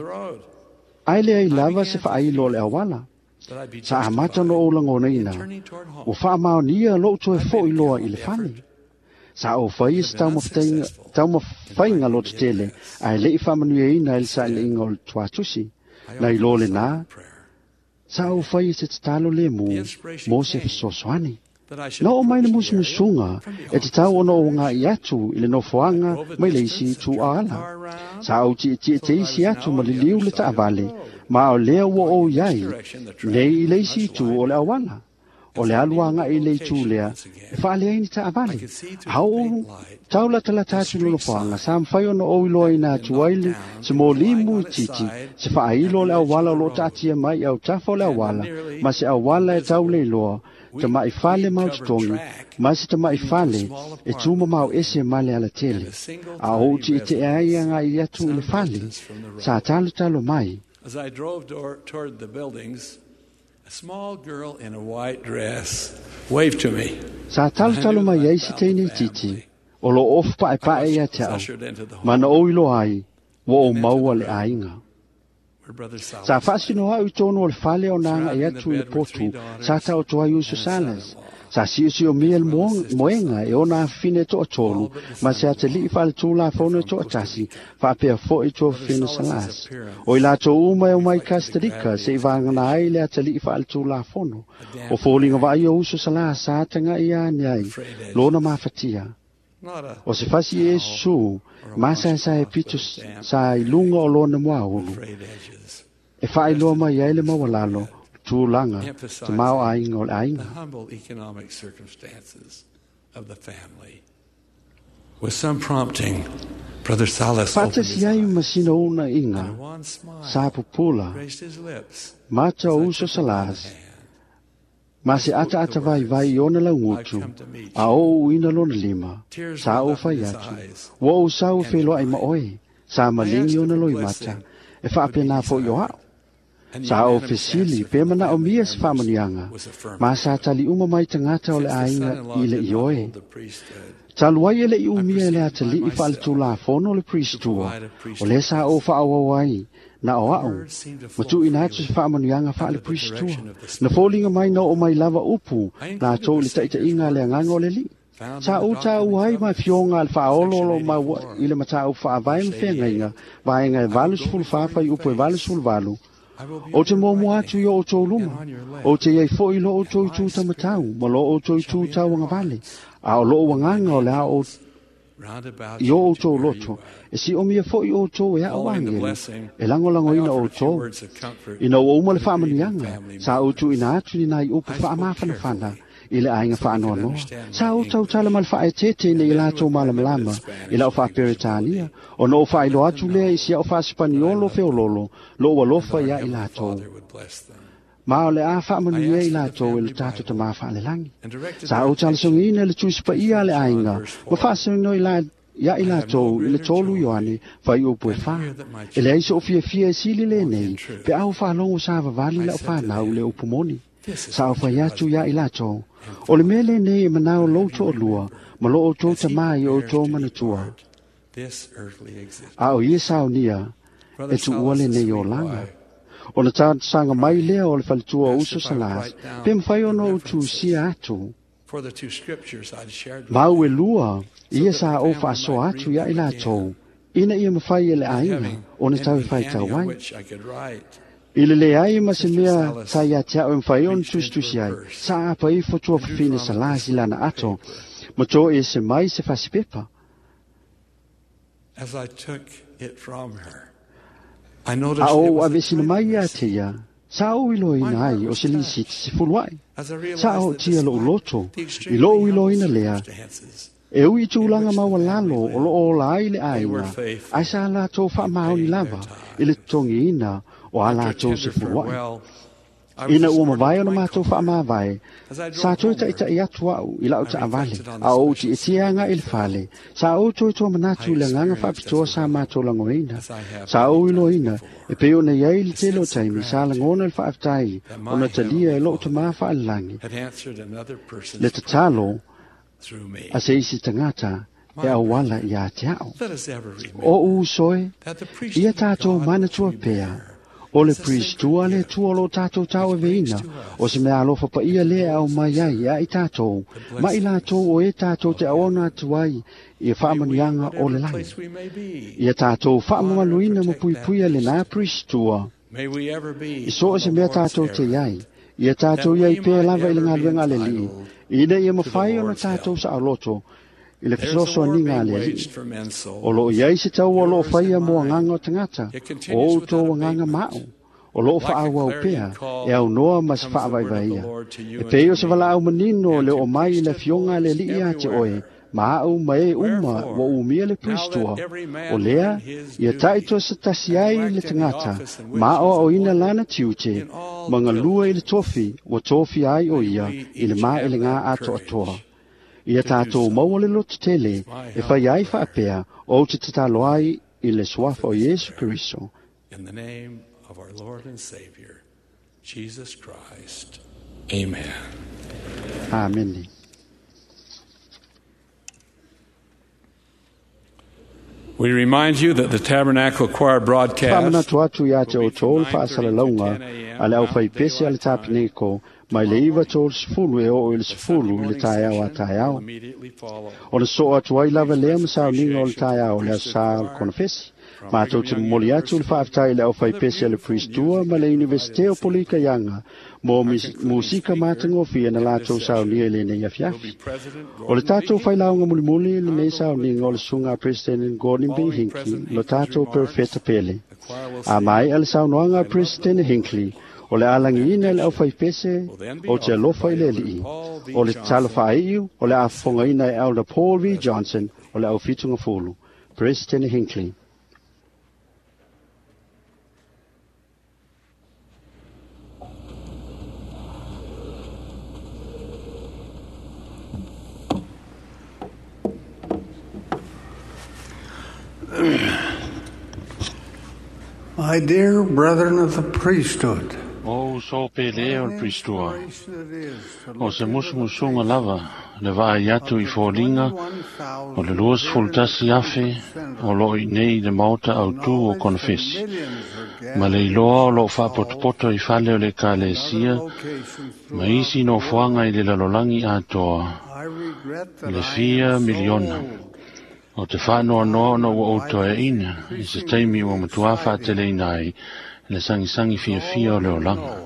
Ae leai lava se faailo o le auala. Sa amata ona ou lagonaina, ua faamaonia lou toe foʻi loa i le fale. Sa ou faia se taumafaiga lotetele, ae leʻi faamanuiaina e le sailiiga o le tuatusi. Na iloa lenā, sa ou faia se tatalo lemu mo se fesoasoani. Na oo mai le musumusuga e tatau ona ou agaʻi atu i le nofoaga mai le isi itu aala. Sa ou tietie teisi atu ma liliu le taavale, ma o lea ua ou iai nei i le isi itu o le auala. O le alu agaʻi i le itu lea, e faaleai ni taavale. A ou taulatalata atu i le nofoaga, sa mafai ona ou iloaina atu ai le se molimu itiiti, se faailo o le auala o loo taatia mai i autafa o le auala, ma se auala e tauleiloa, tamaʻi fale maototogi, ma se tamaʻi fale e tumamao ese ma le alatele. A ou tietie ai agaʻi atu i le fale, sa talotalo mai. As I drove toward the buildings, a small girl in a white dress waved to me. Sa talotalo mai ai se teine itiiti, o loo ofu paepae ia te ao, ma na ou iloa ai, ua ou maua le aiga. Sa faasino au i tonu o le fale o na agaʻi atu i le potu, sa taoto ai Uso Salas. Sa siosiomia le moega e ona afafine e toatolu, ma se atalii faaletulafono e toatasi, faapea foʻi tuafafine Salas. O i latou uma e omai Costa Rica se i vagana ai le atalii faaletulafono. O foliga vaai o Uso Salas sa tagaʻi ane ai lona mafatia. O se fasi e Iesu, masaesae pito sa i luga o lona muaulu, e faailoa mai ai le maualalo, tulaga, te maoaiga o le aiga. The humble economic circumstances of the family. With some prompting, Brother Salas opened his Faatasi ai ma sina uunaiga, and a wan smile sa pupula, raised his lips mata o Uso Salas, ma se ataata vaivai i ona laugutu, a ou uina lona lima, sa ou fai atu, ua ou sau e feiloai ma oe, sa maligi ona loimata, e faapena foʻi o a'u. Sa ou fesili pe manaomia se faamanuiaga, ma sa tali uma mai tagata o le aiga i le ioe. Talu ai e leʻi umia e le atalii faaletulafono le Pristua, o lea sa ou faaauau ai, na o a'u, ma tuuina atu se faamanuiaga faale-Pristua. Na foliga mai na oo mai lava upu latou i le taʻitaʻiga a le agaga o le alii. Sa ou tāua ai ma afioga a le faaolo o loo maua i le mataupu faavae ma feagaiga, vaega e 84 fuaiupu e 88, Ou te muamua atu i o outou luma, ou te iai foʻi i lo outou itu taumatau ma lo outou itu tauagavale, a o lou agaga o le a ou I o outou loto, e siomia fo'i outou e a'u agelu, e lagolagoina outou. Ina ua uma le faamanuiaga, sa ou tuuina atu ni nai upu faamafanafana i le aiga faanoanoa. Sa ou tautala ma le faaeteete ina ia latou malamalama i la'u faaperetania, ona ou faailoa atu lea i si a'u faasipaniolo feololo lo'u alofa iā i latou. Ma o le a faamanuia i latou e le tatou Tamā faalelagi. Sa ou talasogiina le Tusi Paia a le aiga ma faasino ia i latou i le 3 Ioane fuaiupu e 4. E leai so'u fiafia e sili lenei pe a ou faalogo sa vavali la'u fanau i le upu moni. Sa ou fai atu iā i latou, o le mea lenei e manao lou to'alua ma lo outou tamā i outou manatua. A o ia saunia e tuua lenei olaga. Ona talosaga mai lea o le faletua o uso Salās, pe mafai ona ou tusia atu. Mau e lua, ia sa ou faasoa atu ia i latou, ina ia mafai e le aiga ona tau faitau ai. I le leai ma se mea sa ia te au e mafai ona tusitusi ai, sa apa ifo tua fafine Salās i lana ato, ma to e se mai se fasipepa. As I took it from her, A ou aveesina mai ia te ia, sa ou iloaina ai o se lisiti sefulua'i. Sa ootia lo'u loto i lo'u iloaina lea, e ui i tulaga maualalo o loo ola ai le aiga, ae sa latou faamaoni lava i le totogiina o a latou sefulua'i. Ina ua mavae ona matou faamavae, sa toe ta'ita'i atu a'u i la'u taavale, a ou ti'atia aga'i i le fale, sa ou toe tomanatu i le agaga faapitoa sa matou lagoina. Sa ou iloaina, e pei ona i ai le tele o taimi, sa lagona le faafetai ona talia e lo'u tamā faalelagi le tatalo a se isi tagata e auala iā te a'u. O'u uso e, ia tatou manatua pea, o le Pristua le Atua o loo tatou tauaveina, o se mea alofa paia lea e aumai ai ia i tatou, ma i latou o e tatou te auauna atu ai i faamanuiaga o le lagi. Ia tatou faamamaluina ma puipuia lenā Pristua i so o se mea tatou te i ai, ia tatou i ai pea lava i le galuega a le Alii, ina ia mafai ona tatou saoloto i le fesoasoaniga a le Alii. O loo i ai se taua o loo faia mo agaga o tagata, o outou agaga ma a'u, o loo faaauau pea e aunoa ma se faavaivaiia. E pei o se valaau manino le oo mai i le afioga a le Alii iā te oe, ma a'u ma e uma ua umia le Pristua, o lea ia ta'itoa se tasi ai le tagata ma aoaoina lana tiute ma galue i le tofi ua tofia ai o ia i le maelegā atoatoa. Ia tatou maua le loto tele e fai ai faapea ou te tatalo ai i le suafa o Iesu Keriso. In the name of our Lord and Savior, Jesus Christ. Amen. Amene. We remind you that the Tabernacle Choir broadcast Faamanatu atu iā te outou le faasalalauga a le aufaipese a le Tapeneko mai le 9:30 e oo i le 10 i le taeao a taeao. Ona soo atu ai lava lea ma sauniga o le taeao o le aso Sā o le konofesi. Matou te momoli atu le faafetai i le aufaipese a le Pristua ma le Iunivesite o Polikaiaga mo musika matagofie na latou saunia i lenei afiafi. O le tatou failauga mulimuli i lenei sauniga o le susuga a President Gordon B. Hinckley, lo tatou perofeta pele. A maea le saunoaga a President Hinckley, o le alagiina e le aufaipese o te alofa i le Alii. O le tatalo faaiu, o le afofogaina e Elder Paul V. Johnson o le aufitugafulu. President Hinckley. My dear brethren of the priesthood, O uso pele o le Pristua, o se musumusuga lava le vaai atu i foliga o le 21,000 o loo iinei i le maota autū o konofesi, ma le iloa o loo faapotopoto i fale o le Ekalesia ma isi nofoaga i le lalolagi atoa, le fia miliona. O te faanoanoa ona ua ou toeaina i se taimi ua matuā faateleina ai le sagisagi fiafia o le olaga.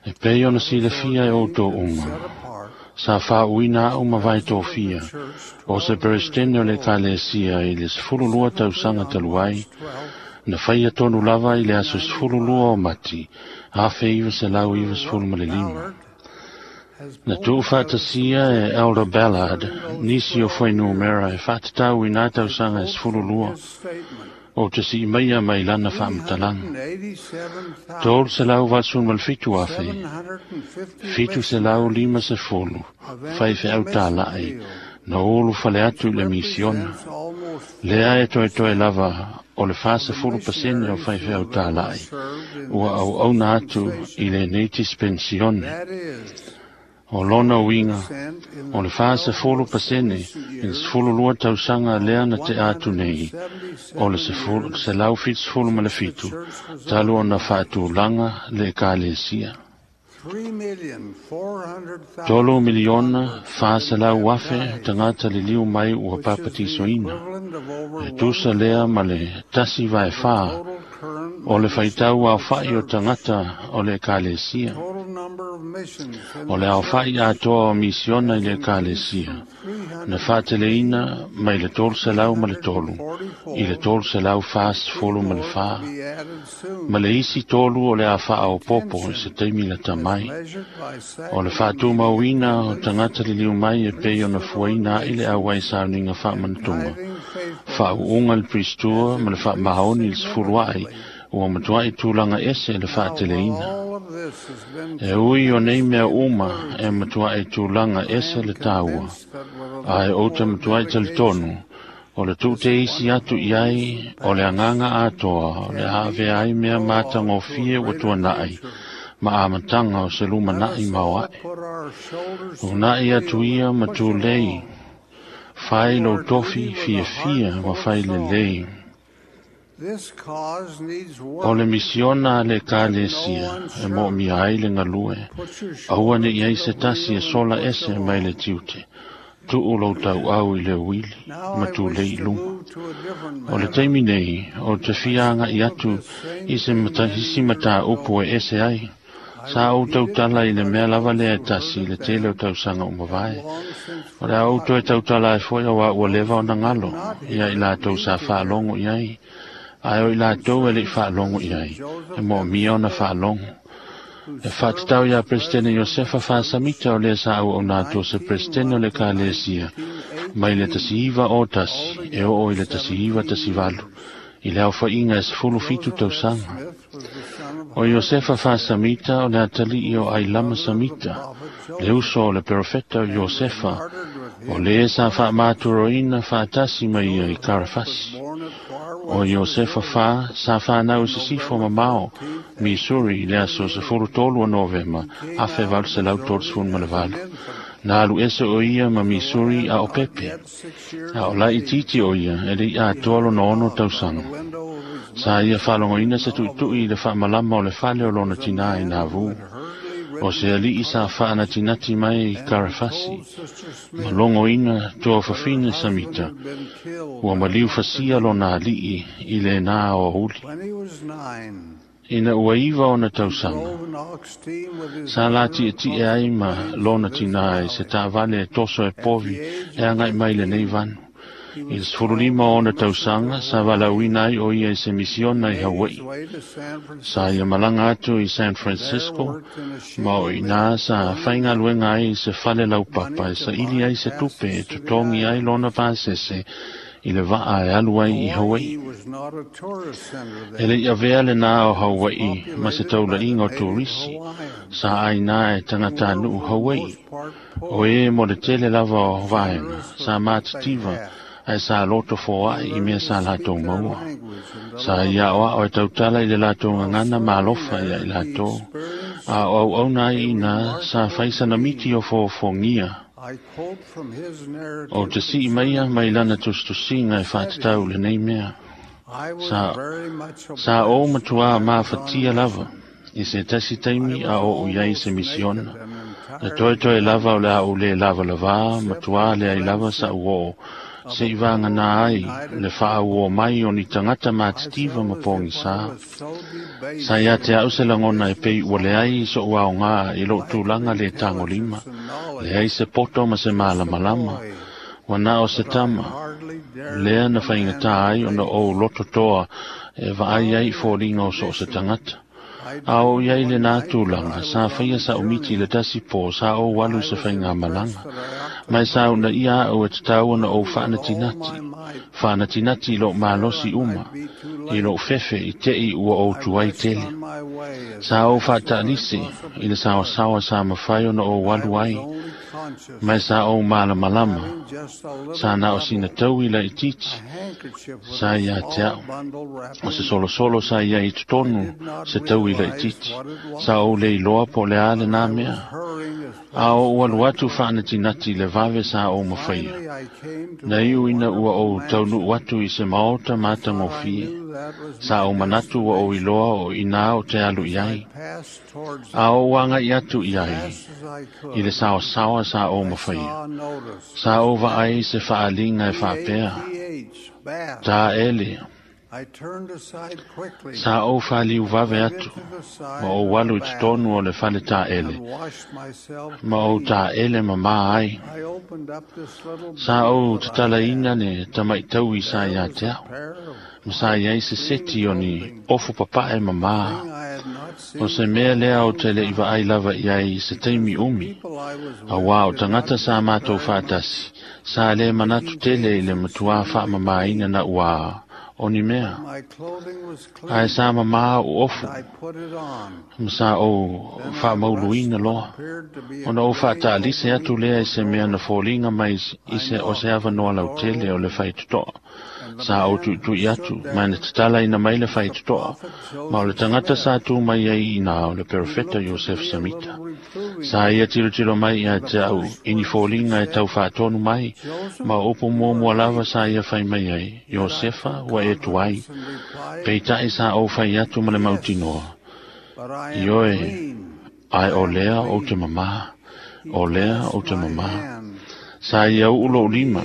E pei ona silafia e outou uma, Sa faauuina a'u ma vae tofia o se peresetene o le Ekalesia i le 12 tausaga talu ai, na faia tonu lava i le aso 12 o Mati 1995. Na tuufaatasia e Elder Ballard nisi o fuainumera e faatatau i nā tausaga e 12 o te sii maia mai lana faamatalaga. 387,750 faifeau tālaʻi na ulu fale atu i le misiona. Lea e toetoe lava o le 40% o faifeau tālaʻi ua auauna atu i lenei dispensione. O lona uiga, o le 40% i le 12 tausaga lea na tea atu nei, o le 177 talu ona faatulaga le Ekalesia. 3,400,000 tagata liliu mai ua papatisoina. E tusa lea ma le 1/4 o le faitau aofaʻi o tagata o le Ekalesia. O le aofaʻi atoa o misiona i le Ekalesia na faateleina mai le 303 i le 344, ma le isi tolu o le a faaopopo i se taimi lata mai. O le faatumauina o tagata liliu mai e pei ona fuaina aʻi le auai sauniga faamanatuga, faauuga le Priestua ma le faamaoni i le 10 aʻi ua matuaʻi tulaga ese le faateleina. E ui o nei mea uma e matuaʻi tulaga ese le taua, ae ou te matuaʻi talitonu o le tuuteisi atu i ai o le agaga atoa o le a avea ai mea matagofie ua tuanaʻi ma amataga o se lumanaʻi maoaʻe. Unaʻi atu ia ma tulei, fai lou tofi fiafia ma fai lelei. O le misiona a le Ekalesia e moomia ai le galue, aua ne i ai se tasi e sola ese mai le tiute, tuu lou tauau i le uili ma tulei i luma. O le taimi nei, o te fia agaʻi atu i se isi mataupu e ese ai. Sa ou tautala i le mea lava lea e tasi i le tele o tausaga uma vae. O le a ou toe tautala ai foi auā ua leva ona galo ia i latou sa faalogo i ai, ae o i latou e leʻi faalogo i ai, e moomia ona faalogo. E faatatau iā Peresetene Iosefa Faasamita o lea sa auauna atu o se Peresetene o le Ekalesia mai le 1901 e oo i le 1918 i le aofaʻiga e 17 tausaga. O Iosefa Faasamita o le atalii o Ailama Samita, le uso o le perofeta o Iosefa, o le sa faamaturoina faatasi mai ia i Karafasi. O Iosefa Fa sa fanau i sisifo mamao, Missouri, i le aso 13 o Novema 1838. Na alu ese o ia ma Missouri a o pepe. A o laitiiti o ia e leʻi atoa lona 6 tausaga. Sa ia faalogoina se tuʻituʻi i le faamalama o le fale o lona tinā i Navu. O se aliʻi sa faanatinati mai i Karafasi, ma logoina tua fafine Samita, ua maliu fasia lona aliʻi i lenā o auli. Ina ua 9 ona tausaga, sa latiʻetiʻe ai ma lona tinā i se taavale e toso e povi e agaʻi mai lenei vanu. I le 15 ona tausaga, sa valaauina ai o ia i se misiona i Hawaii. Sa ia malaga atu i San Francisco, ma o inā sa faigaluega ai i se fale laupapa e saʻili ai se tupe e totogi ai lona pasese i le vaa e alu ai i Hawaii. E leʻi avea lenā o Hawaii ma se taulaʻiga o turisi, sa ʻainā e tagatanuu Hawaii. O e mo le tele lava o vaega, sa matitiva, ae sa loto foaʻi i mea sa latou maua. Sa ia aʻoaʻo e tautala i le latou gagana ma alofa ia i latou. A o auauna ai inā sa faisana miti o fofogia. O te sii maia mai lana tusitusiga e faatatau lenei mea. Sa ou matuā mafatia lava i se tasi taimi a oo i ai se misiona. Na toetoe lava o le a ou lē lavalavā matuā leai lava saʻu oo Seʻi vagana ai le faauō mai o ni tagata matitiva ma pogisā. Sa iā te a'u se lagona e pei ua leai soʻu aogā i loʻu tulaga lē tagolima, leai se poto ma se malamalama, ua na o se tama, lea na faigatā ai ona ou loto toa e vaai ai i foliga o so o se tagata. A o i ai lenā tulaga, sa faia sa'u miti i le tasi pō sa ou alu i se faigamalaga. Ma e sa u'unaia a'u e tatau ona ou faanatinati, faanatinati i lo'u malosi uma, i lo'u fefe i te'i ua ou tuai tele. Sa ou faata'alise i le saoasaoa sa mafai ona ou alu ai, ma e sa ou malamalama, sa na o sina taui laitiiti sa iā te a'u. O se solosolo sa iai i totonu se taui laitiiti. Sa ou le iloa po o le a lenā mea. A ou alu atu faanatinati i le vave sa ou mafaia. Na iu ina ua ou taunu'u atu i se maota matagofie. Sa ou manatu ua ou iloa o inā o te alu i ai. A ou agaʻi atu i ai, i le saoasaoa sa ou mafaia. Sa ou vaai i se faaliga e faapea, Taele. Sa ou faliu vave atu, ma ou alu i totonu o le fale taele, ma ou taele mamā ai. Sa ou tatalaina le tamaʻi sa iā te a'u, ma sa i ai se seti o ni ofu papaʻe mamā. O se mea lea o te leʻi vaai lava i ai i se taimi umi, auā o tagata sa matou faatasi, sa lē manatu tele i le matuā faamamāina na ua o ni mea. Ae sa mamā oʻu ofu, ma sa ou faamauluina loa, ona ou faataalise atu lea i se mea na foliga mai i se o se avanoa lautele o le faitotoa. Sa ou tuʻituʻi atu, ma na tatalaina mai le faitotoa, ma o le tagata sa tu mai ai inā o le perofeta Iosefa Samita. Sa ia tilotilo mai iā te a'u i ni foliga e tau faatonu mai, ma o upu muamua lava sa ia fai mai ai, Iosefa, ua e tuai. Peitaʻi sa ou fai atu ma le mautinoa, Ioe, ae o lea ou te mamā, o lea ou te mamā. Sa ia u'u lo'u lima,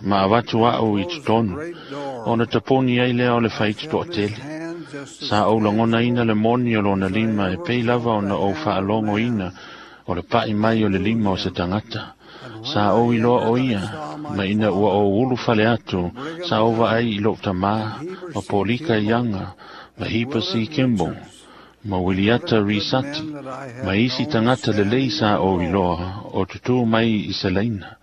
ma avatu a'u i totonu, ona taponi ai lea o le faitotoatele. Sa ou lagonaina le moni o lona lima e pei lava ona ou faalogoina o le paʻi mai o le lima o se tagata. Sa ou iloa o ia, ma ina ua ou ulu fale atu, sa ou vaai i loʻu tamā, ma Polika Iaga, ma Hipa C. Kimball, ma Wiliata Risati, ma isi tagata lelei sa ou iloa o tutū mai i se laina.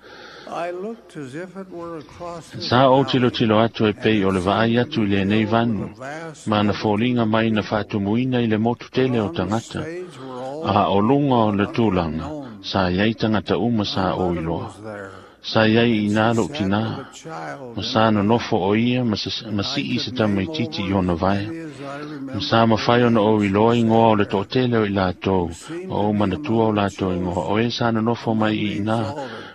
Sa ou tilotilo atu e pei o le vaai atu i lenei vanu, ma na foliga mai na faatumuina i le motu tele o tagata, a o luga o le tulaga, sa iai tagata uma sa ou iloa. Sa iai inā loʻu tinā, ma sa nonofo o ia ma siʻi se tamaitiiti i ona vaea. Ma sa mafai ona ou iloa igoa o le toʻatele o i latou, ma ou manatua o latou igoa, o e sa nonofo mai i inā,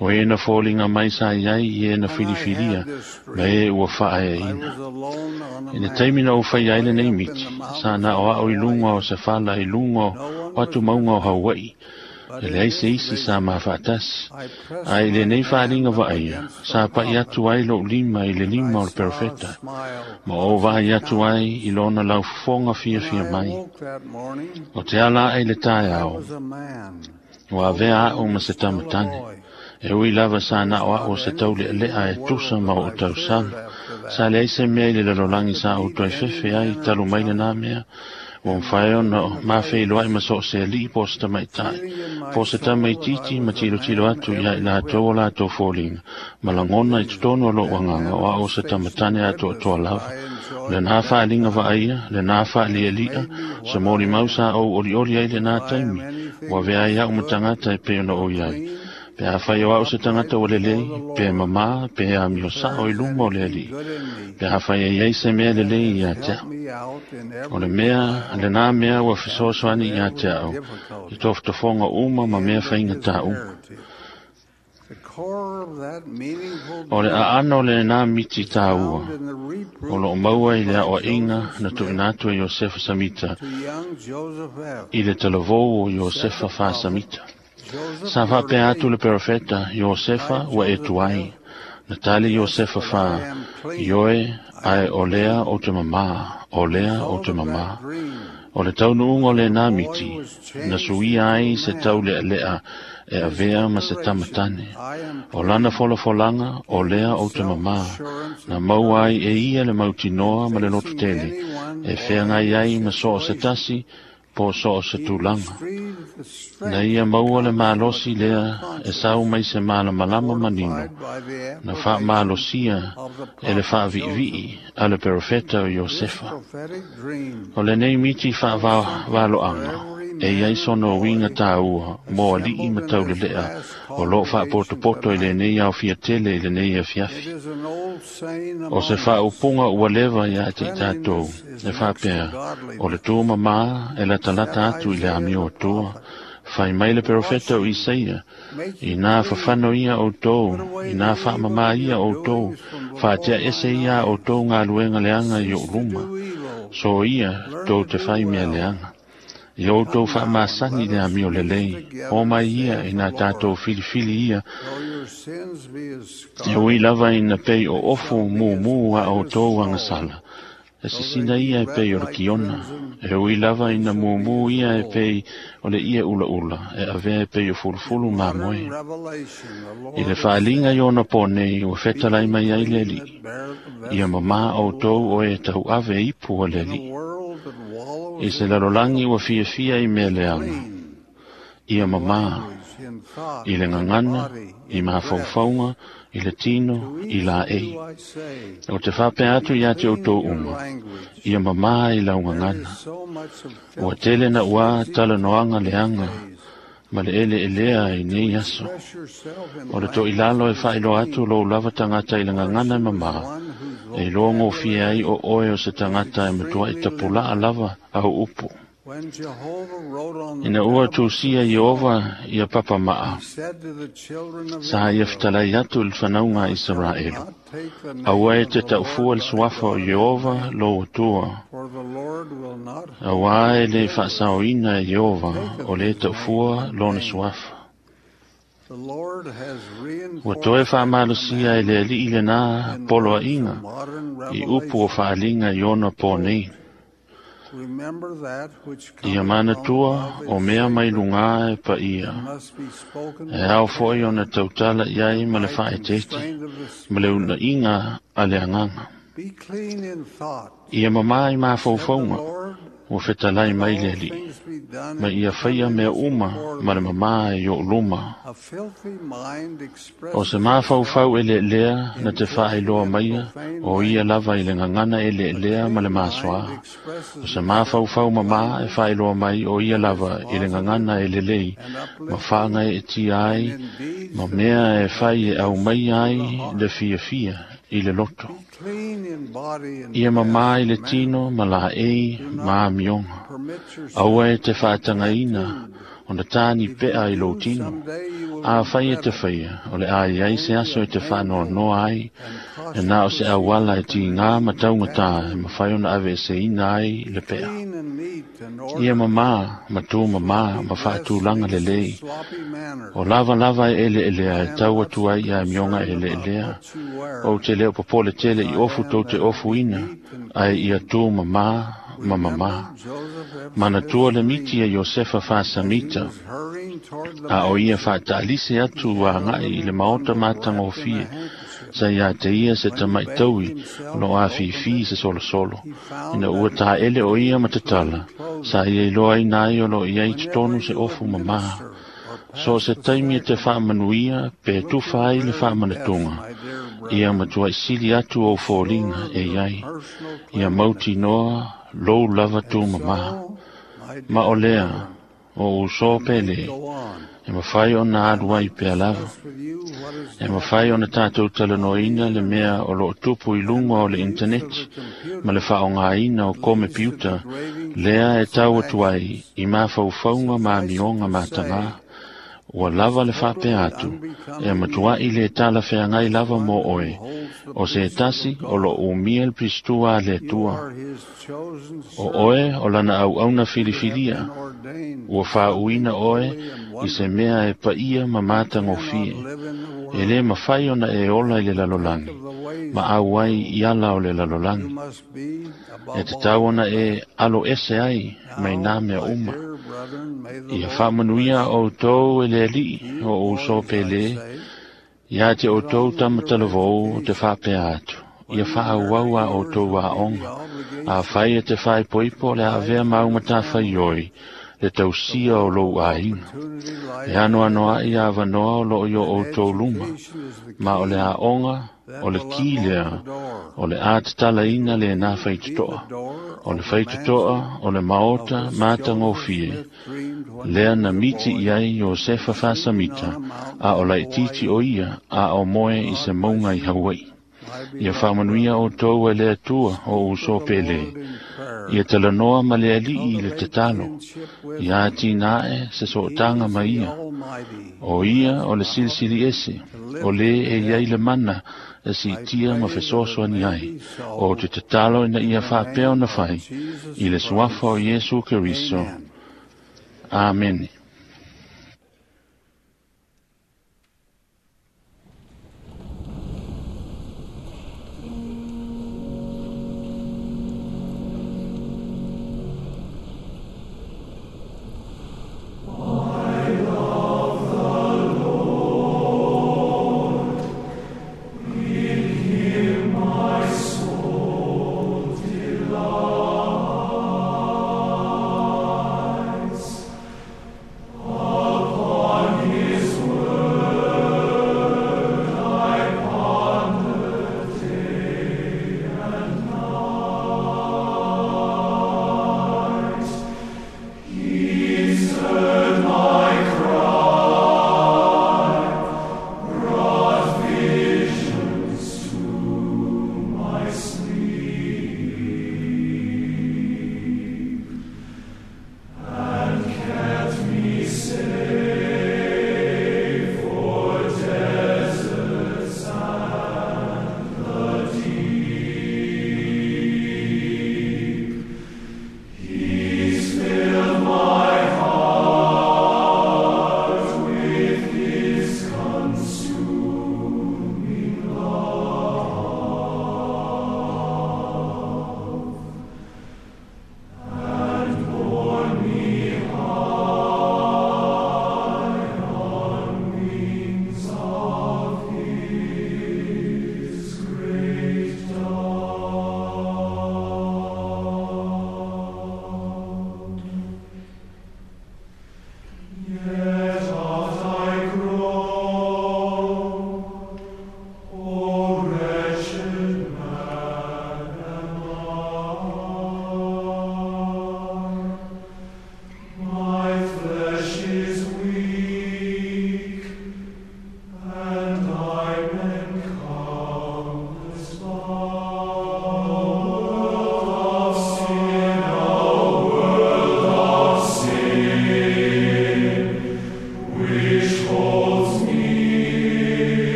o e na foliga mai sa iai i e na filifilia, ma e ua faaeaina. I le taimi na ou faia ai lenei miti, sa na o a'u i luga o se fala i luga o atu mauga o Hauaʻi, e leai se isi sa mafaatasi. Ae i lenei faaliga vaaia, sa paʻi atu ai loʻu lima i le lima o le perofeta, ma ou vaai atu ai i lona laufofoga fiafia mai. O te ala aʻe i le taeao, ua avea a'u ma se tamatane. E ui lava sa na o a'u o se tauleʻaleʻa e tusa ma oʻu tausaga. Sa leai se mea i le lalolagi sa ou toe fefe ai talu mai lenā mea, ua mafai ona mafeiloaʻi ma so o se aliʻi po o se tamaʻitaʻi, po o se tamaitiiti ma tilotilo atu iā i latou o latou foliga, ma lagona i totonu o loʻu agaga o a'u o se tamatane atoatoa lava. O lenā faaliga vaaia, lenā faaliʻaliʻa, se molimau sa ou olioli ai lenā taimi, ua avea ai a'u ma tagata e pei ona ou iai. Pe afai o a'u se tagata ua lelei, pe mamā, pe amio saʻo i luma o le Alii, pe afai e iai se mea lelei iā te a'u. O le mea, lenā mea ua fesoasoani iā te a'u, i tofotofoga uma ma mea faigatā uma. O le aano o lenā miti tāua, o loo maua i le aʻoaʻiga na tuuina atu e Iosefa Samita i le talavou o Iosefa Fā Samita. Sa faapea atu le perofeta, Iosefa, ua e tuai. Na tali Iosefa fā, Ioe, ae o lea ou te mamā, o lea ou te mamā. O le taunuuga o lenā miti, na suia ai se taulealea e avea ma se tamatane. O lana folafolaga, o lea ou te mamā, na maua ai e ia le mautinoa ma le lototele, e feagai ai ma so o se tasi, po so o se tulaga. Na ia maua le malosi lea e sau mai se malamalama manino, na faamalosia e le faaviivii a le perofeta o Iosefa. O lenei miti faavaloaga, e iai sona uiga tāua mo alii ma taulelea o loo faapotopoto i lenei aofia tele i lenei afiafi. O se faaupuga ua leva iā te i tatou, e faapea, o le tū mamā e latalata atu i le amio Atua. Fai mai le perofeta o Isaia, inā fafano ia outou, inā faamamā ia outou, faatea ese ia outou galuega leaga i ou luma. So ia tou te fai mea leaga. Ia outou faamasani le amio lelei, o mai ia ina tātou filifili ia, e ui lava ina pei o ofu mumu a outou agasala. E sisina ia e pei o le kiona, e ui lava ina mumu ia e pei o le ie ulaula, e avea e pei o fulufulu mamoe. I le faaliga i ona pō nei, ua fetalai mai ai le Alii. Ia mamā outou o e tauave ipu a le Alii. I se lalolagi ua fiafia i mea leaga. Ia mamā, i le gagana, i mafaufauga, i le tino, i laei. O te faapea atu iā te outou uma, ia mamā i lau gagana. Ua tele na ua talanoaga leaga, ma le eleelea i nei aso. O le toilalo e faailoa atu lou lava tagata i le gagana e mamā, e iloa gofie ai o oe o se tagata e matuai tapulaa lava au upu. Ina ua tusia Ieova ia papamaa, sa ia fetalai atu i le fanauga a Isaraelu. Aua e te taufua le suafa o Ieova lou Atua, auā e lē faasaoina e Ieova o lē taufua lona suafa. Ua toe faamalosia e le Alii lenā poloaiga i upu o faaliga i ona pō nei. Ia manatua o mea mai lugā e paia, e ao foi ona tautala i ai ma le faaeteete, ma le unaiga a le Agaga. Ia mamā i mafaufauga, ua fetalai mai le Alii, ma ia faia mea uma ma le mamā i ou luma. O se mafaufau eleelea na te faailoa maia, o ia lava i le gagana eleelea ma le masoa. O se mafaufau mamā e faailoa mai, o ia lava i le gagana e lelei, ma faagaeetia ai, ma mea e fai e aumai ai le fiafia i le loto. Ia mamā i le tino ma laei ma amioga. Aua e te faatagaina ona tāni pea i lou tino. Afai e te faia, o le a iai se aso e te faanoanoa ai, e na o se auala e tigā ma taugatā e mafai ona aveeseina ai le pea. Ia mamā, ma tū mamā, ma faatulaga lelei. O lava lava e eleelea e tau atu ai i amioga eleelea. Ou te le o popole tele i ofu tou te ofuina, ae ia tū mamā ma mamā. Manatua le miti a Iosefa faasamita, a o ia faataalise atu agai i le maota matagofie, sa iā te ia se tamaitaui o loo afifi se solosolo. Ina ua taele o ia ma tatala, sa ia iloa aina ai o loo iai totonu se ofu mamā. So o se taimi e te faamanuia pe tufa ai le faamanatuga, ia matuai sili atu ou foliga e iai, ia mautinoa lou lava tū mamā. Ma o lea, o uso pele, e mafai ona alu ai pea lava. E mafai ona tātou talanoaina le mea o loo tupu i luga o le intaneti ma le faaaogaina o komepiuta lea e tau atu ai i mafaufauga ma amioga matagā. Ua lava le faapea atu, e matua'i lē talafeagai lava mo oe, o se tasi o loo umia le pistua a le Atua. O oe o lana auauna filifilia, ua faauuina oe i se mea e paia ma matagofie. E lē mafai ona e ola i le lalolagi, ma auai i ala o le lalolagi. E tatau ona e alo ese ai mai nā mea uma. Ia faamanuia outou e le Alii o ou uso pelē, iā te outou tamatalavou o te faapea atu. Ia faaauau a outou aoga, afai e te faaipoipo le avea ma au matafaioi, le tausia o lou aiga. E anoanoa'i avanoa o loo i o outou luma, ma o le aoga, o le ki lea, o le a tatalaina lenā faitotoa. O le faitotoa o le maota matagofie, lea na miti i ai Iosefa faasamita, a o laitiiti o ia, a o moe i se mauga i Hauaʻi. Ia faamanuia outou e le Atua o uso pelē. Ia talanoa ma le Alii i le tatalo. Ia atinae se sootaga ma ia. O ia o le Silisili Ese, o lē e iai le mana e siitia ma fesoasoani ai. O te tatalo ina ia faapea ona fai, i le suafa o Iesu Keriso. Amene.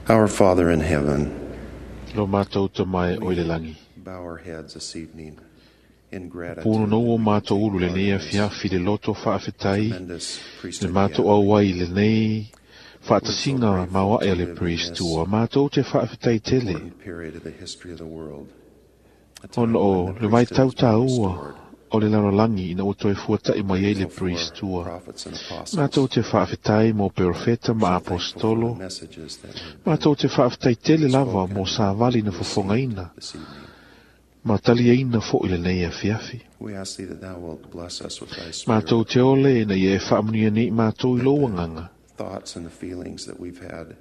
Our Father in heaven, Lo mātou te mai o i le langi. bow our heads this evening in gratitude. Pūno nou o mātou ulu le nei afiafi le loto whaafetai, le mātou au ai le nei whaatasinga maua e le priestua, mātou te whaafetai tele. Period of the history of the world. Ona o le vai tau tāua o le lalolagi ina ua toe fuataʻi mai ai le priestua. Matou te faafetai mo perofeta ma apostolo. Matou te faafetai tele lava mo savali na fofogaina ma taliaina foʻi lenei afiafi. We ask thee that thou wilt bless us with thy spirit, Matou te ole ina ia e faamanuia nei matou i lou agaga. thoughts and the feelings that we've had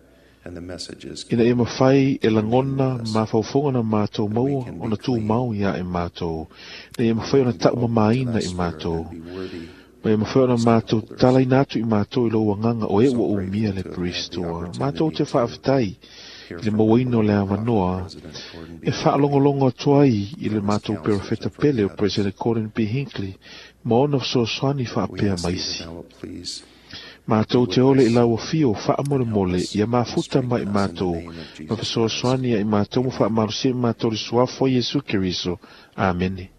and the messages Ina ia mafai e lagona mafaufoga na matou maua ona tumau ia e matou. Ina ia mafai ona taʻumamāina i matou. Ma ia mafai ona matou talaina atu i matou i lou agaga o e ua umia le Kristo. Matou te faafetai i le mauaina o le avanoa e faalogologo atu ai i le matou perofeta pele o President Gordon B. Hinckley ma ona fesoasoani faapea ma isi. Matou te ole i lau afio faamolemole ia mafuta mai matou ma fesoasoani ia i matou ma faamalosia i matou le suafa o Iesu Keriso. Amene.